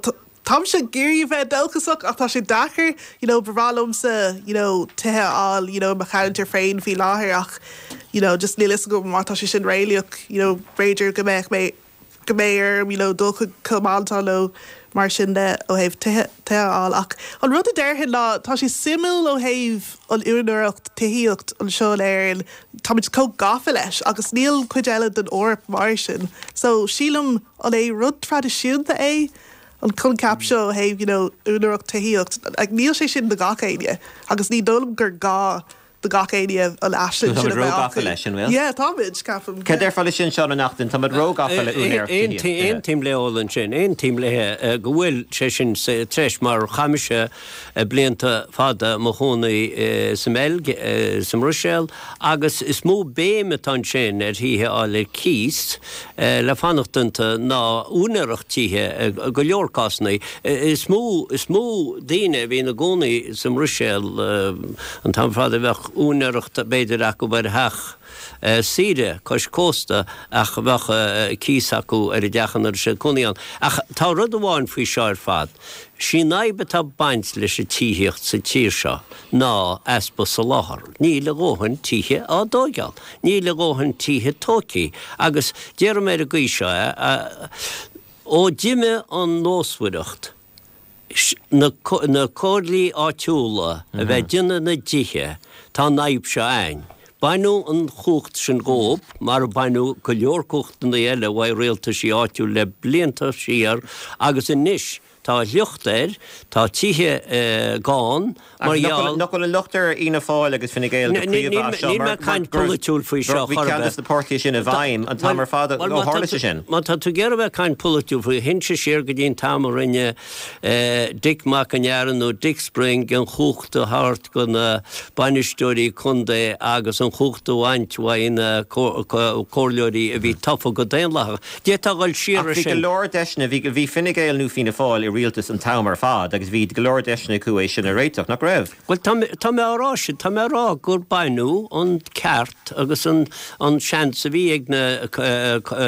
táimse ag iarraidh a bheith dóchasach ach tá sé deacair you know ba bhreá liomsa you know tithe a fháil you know i mo cheantar féin faoi láthair ach you know just níl fhios agam má tá sé sin réalaíoch you know b'fhéidir go mbeadh mé go mbeidh orm you know dul chuig Cill Mhantáin nó mar sin de ó thaobh tithe tithe a fháil. Ach an rud a déarfainn ná tá sé suimiúil ó thaobh an úinéireacht tithíocht anseo in Éirinn, táimid chomh gafa leis agus níl cuid eile den Eoraip mar sin. So sílim an é rud traidisiúnta é an coincheap seo ó thaobh you know úinéireacht tithíocht, like níl sé sin do gach éinne agus ní dóigh liom gur gá do gach éinne an aisling sin a bheith acu. Táimid róghafa leis, an bhfuil? Yeah, táimid, ceapaim. Cad déarfá leis sin, Seán Ó Neachtain? Táimid róghafa le úinéireacht tithíochta. Aontaím le Ola ansin, aontaím léi go bhfuil sé sin sa treis mar chaith mise blianta fada i mo chónaí sa mBeilg, sa mBruiséal agus is mó béim atá ansin ar thithe a fháil ar cíos le fanacht iontu ná úinéireacht tithe i go leor cásanna. Is mó, is mó daoine a bhí ina gcónaí sa mBruiséal an t-am ar fad a bheadh úinéireacht b'fhéidir acu ar theach saoire cois cósta ach bheadh cíos acu ar an dteach ina raibh siad cónaí ann. Ach tá rud amháin faoi seo ar fad, sí an fhadhb atá ag baint leis an tithíocht sa tír seo ná easpa soláthair. Níl a dhóthain tithe á dtóigeáil. Níl a dhóthain tithe tóigthe agus déarfaidh mé ar an gcaoi seo é, Ó d'imigh an nósmhaireacht, na comhairlí áitiúla a bheith ag déanamh na dtithe, tá an fhadhb seo a'ainn. Baineadh an chumhacht sin dhóib, mar a baineadh go leor cumhachtanna eile uaidh rialtaisí áitiúil le blianta siar agus anois. Tá locht air, tá tithe gann mar gheall. Nach bhfuil an locht ar Fhianna Fáil agus Fine Gael go príomha as seo Níl mé ag caint polaitiúil faoi seo chor ar bith. Bhí ceann de na páirtithe sin i bhfeidhm an t-am ar fad ó tharla sé sin. Má tá tú ag iarraidh bheith ag caint polaitiúil faoi, théinnse siar go dtí an t-am a rinne Dick Mac an Earra nó Dick Spring an chumhacht a thabhairt go na bainisteoirí contae agus an chumhacht a bhaint uaidh na comhairleoirí a bhí tofa go daonlathach. D'fhéadfá a dhul siar Ach bhí go leor deiseanna, bhí, bhí Fine Gael nó Fianna Fáil i rialtas an t-am ar fad agus bhí go leor deiseanna acu é sin a réiteach, nach raibh? Bhuel, tá mé, tá mé á rá sin, tá mé á rá gur baineadh an ceart agus an, an seans a bhí ag na,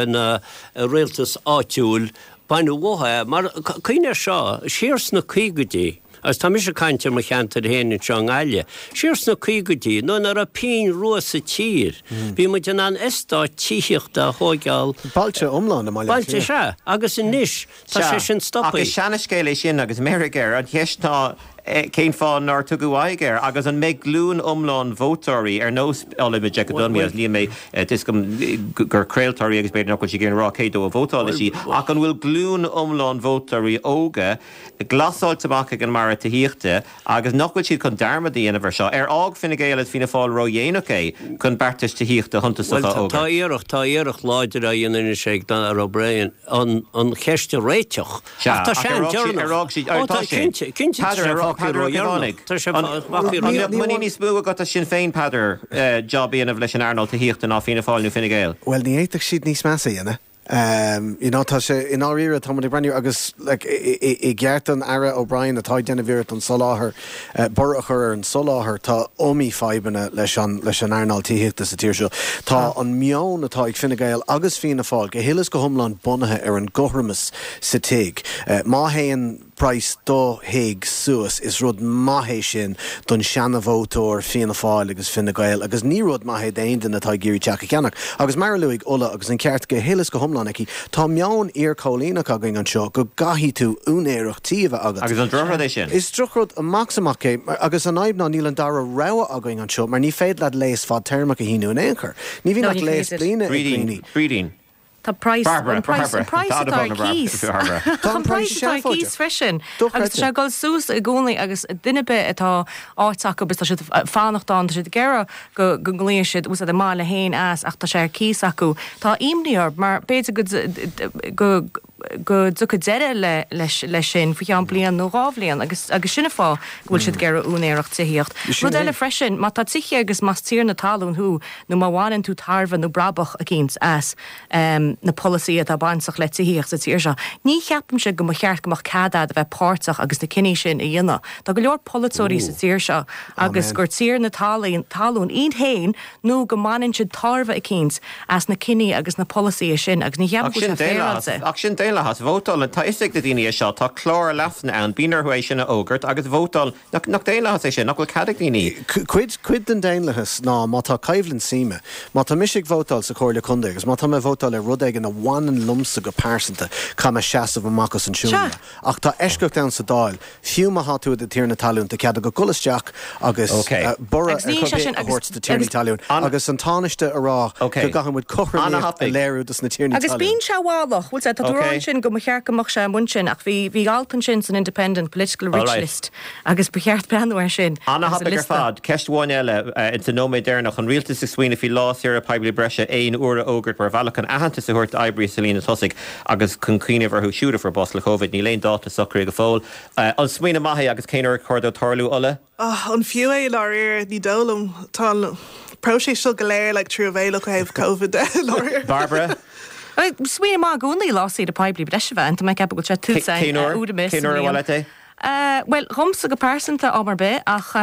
na rialtas áitiúil, baineadh uathu é. Mar, cuimhnigh air seo, siar sna caogaidí, Agus tá mise ag caint ar mo cheantar féin anseo i nGaillimh. Siar sna caogaidí, nuair nach raibh pingin rua sa tír, bhí muid in ann eastát tithíochta a thóigeáil. Bailte iomlána i mBaile Átha Cliath. Bailte, sea. Agus anois, tá sé sin stoptha. Ach is seanascéal é sin agus meirg air. An cheist ná cén fáth nár tugadh aghaidh air agus an mbeidh glúin iomlán vótóirí ar nós Ola Majekodunmi agus níl mé, tá 'fhios agam gur craoltóir í agus b'fhéidir nach bhfuil sí ag iarraidh a rá cé dó a vótálfaidh sí ach an bhfuil glúin iomlán vótóirí óga glasáilte amach ag an mborradh tithíochta agus nach bhfuil siad chun dearmad a dhéanamh ar seo. Ar fhág Fine Gael agus Fianna Fáil ródhéanach é chun beartais tithíochta shuntasacha a Bhuel, tá fhógairt? iarracht, tá iarracht láidir á dhéanamh anois ag Darragh O'Brien an an cheist a réiteach. Sea, Ach tá ach sé ar fhág siad, an-deireanach. ar fhág siad, Ó, tá tá, sé. cinnte, cinnte tá Peadar, sé ar fhág fágtha Peadar Ó ródheireanach. Caomhánaigh, Tá sé an fágtha an mbeadh ródheireanach. muinín níos mó agat as Sinn Féin, Peadar, job a dhéanamh leis an earnáil tithíochta ná Fianna Fáil nó Fine Gael? Bhuel, ní fhéadfadh siad níos measa a dhéanamh. You know, tá sé, i ndáiríre, tá muid ag breathnú agus like i gceart don Aire O'Brien atá ag déanamh iarracht an soláthar, borradh a chur ar an soláthar, tá iomaí fadhbanna leis an, leis an earnáil tithíochta sa tír seo. Tá an meon atá ag Fine Gael agus Fianna Fáil go huile is go hiomlán bunaithe ar an gcothromas sa tigh. Má théann. praghas do thigh suas, is rud maith é sin don seana-vótóir Fianna Fáil agus Fine Gael agus ní rud maith é d'aon duine atá ag iarraidh teach a cheannach. Agus mar a luaigh Ola, agus an ceart go huile is go hiomlán aici, tá meon iar-choilíneach againn anseo go gcaithfidh tú úinéireacht tí a bheith agat. Agus an drochrud é sin? Is drochrud amach is amach é agus an fhadhb ná níl an dara rogha againn anseo mar ní féidir leat léas fadtéarmach a shíniú in aon chor. Ní bhíonn No, ach ní léas féidir. bliana ag Brídín, daoine. Brídín. Tá praghas, Barbara, an praghas, an Barbara, praghas tá atá ar an Barbara, cíos. Barbara. Tá An an praghas praghas atá ar cíos seafóideach. freisin. Agus tá Dochreidte. sé ag dul suas i gcónaí agus duine ar bith atá áit acu agus tá siad ag fanacht ann, tá siad ag iarraidh go go nglaofaidh siad úsáid a mbaile féin as ach tá sé ar cíos acu. Tá imní orthu mar b'fhéidir go go go dtiocfaidh deireadh le leis leis sin faoi cheann bliain nó dhá bhliain agus agus sin an fáth go bhfuil siad ag iarraidh úinéireacht tithíocht. Sin Rud é. eile freisin, má tá tithe agus más tiarna talún thú nó má bhaineann tú tairbhe nó brabach eicínt as na polasaithe atá bainteach le tithíocht sa tír seo, ní cheapaimse go mba cheart go mbeadh cead agat a bheith páirteach agus na cinní sin a dhéanamh. Tá go leor polaiteoirí sa tír seo agus gur tiarna talún iad féin nó go mbaineann siad tairbhe eicínt as na cinní agus na polasaithe sin agus ní cheapaim go bhfuil sé féaráilte. Ach sin daonlathas. Vótálann, tá fhios ag na daoine é seo, tá clár leasanna ann, bíonn orthu é sin a fhógairt agus vótálann Nach daonlathas é sin? Nach bhfuil cead ag daoine? Cuid, cuid den daonlathas ná má tá coimhlint suime, má tá mise ag vótáil sa Chomhairle Contae agus má tá mé ag vótáil ar rud éigin a bhaineann liomsa go pearsanta, caithfidh mé seasamh amach as an seomra. Ach tá eisceacht ann sa Dáil, fiú má thá tú i do thiarna talún, tá cead agat dul isteach agus borradh ar bith a thabhairt do tiarnaí talún agus an Tánaiste a rá go gcaithfidh muid cothromaíocht a léiriú dos na tiarnaí Agus talún. bíonn sé bhalach, bhfuil sé, tá tú a rá ansin go mba cheart go mbeadh sé amuigh ansin ach bhí, bhí alt ansin san Independent, Political Rich List, agus ba cheart breathnú air sin agus an An-thapaidh ar liosta. fad. Ceist amháin eile, insa nóiméad deireanach, an rialtas ag smaoineamh faoi lá saoire poiblí breise aon uair a fhógairt mar bhealach chun aitheantas a thabhairt d'oibrithe sa líne tosaigh agus chun cuimhneamh orthu siúd a fuair bás le Covid. Níl aon dáta socraithe go fóill. An smaoineamh maith é agus cén uair ar chóir dó tarlú, Ola? An fiú é i ndáiríre? Ní dóigh liom. Tá an próiseas seo go léir like truamhéalach ó thaobh Covid de i ndáiríre. Barbara? Smaoineamh maith i gcónaí lá saoire poiblí breise a bheith ann. Tá mé ag ceapadh go bhfuil sé tuillte Cén uair? uair ar bith Cén sa uair ar mbliain. mhaith leat é? Bhuel, dhomsa go pearsanta, am ar bith, ach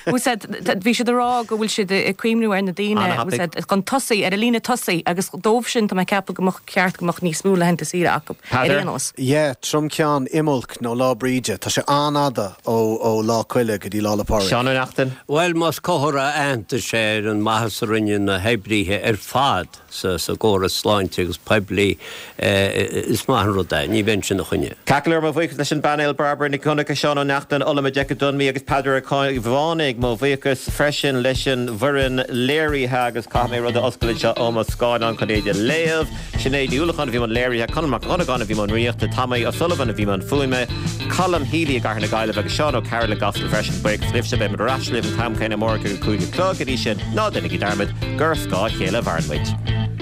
bhfuil said, bhí siad ag rá go bhfuil siad ag cuimhniú ar na daoine, bhfuil An-thapaidh. said, chun tosaigh, ar an líne tosaigh agus dóibh sin tá mé ag ceapadh go mbeadh ceart go mbeadh níos mó laethanta saoire acu, ar Peadar? aon nós. Yeah, tromcheann Imbolc nó Lá Bríde. Tá sé an-fhada ó Lá Coille go dtí Lá 'le Pádraig. Seán Ó Neachtain? Bhuel, más comhartha aitheantais é ar an maitheas a rinne na hoibríthe ar fad sa gcóras sláinte agus poiblí, is maith an rud é. Ní bheinnse ina choinne. Ceart go leor, mo bhuíochas leis an bpainéal, Barbara Nic. Donncha, Seán Ó Neachtain, Ola Majekodunmi agus Peadar Ó Caomhánaigh. Mo bhuíochas freisin leis an bhfoireann léirithe agus caithfidh mé rud a oscailt anseo ó mo scáileán chun é a léamh. Sinéad Ní Uallacháin a bhí i mbun léirithe, Conall Mac Dhonnagáin a bhí i mbun rúnaíochta, Tommy O'Sullivan a bhí i mbun fuaime, Colm Healy i gCathair na Gaillimhe agus Seán Ó Cearúil i gCasla freisin. Buíochas libhse, beidh muid ar ais libh an t-am céanna amárach ag a 5 a chlog. Go dtí sin, ná déanaigí dearmad gur ar scáth a chéile a mhaireann muid.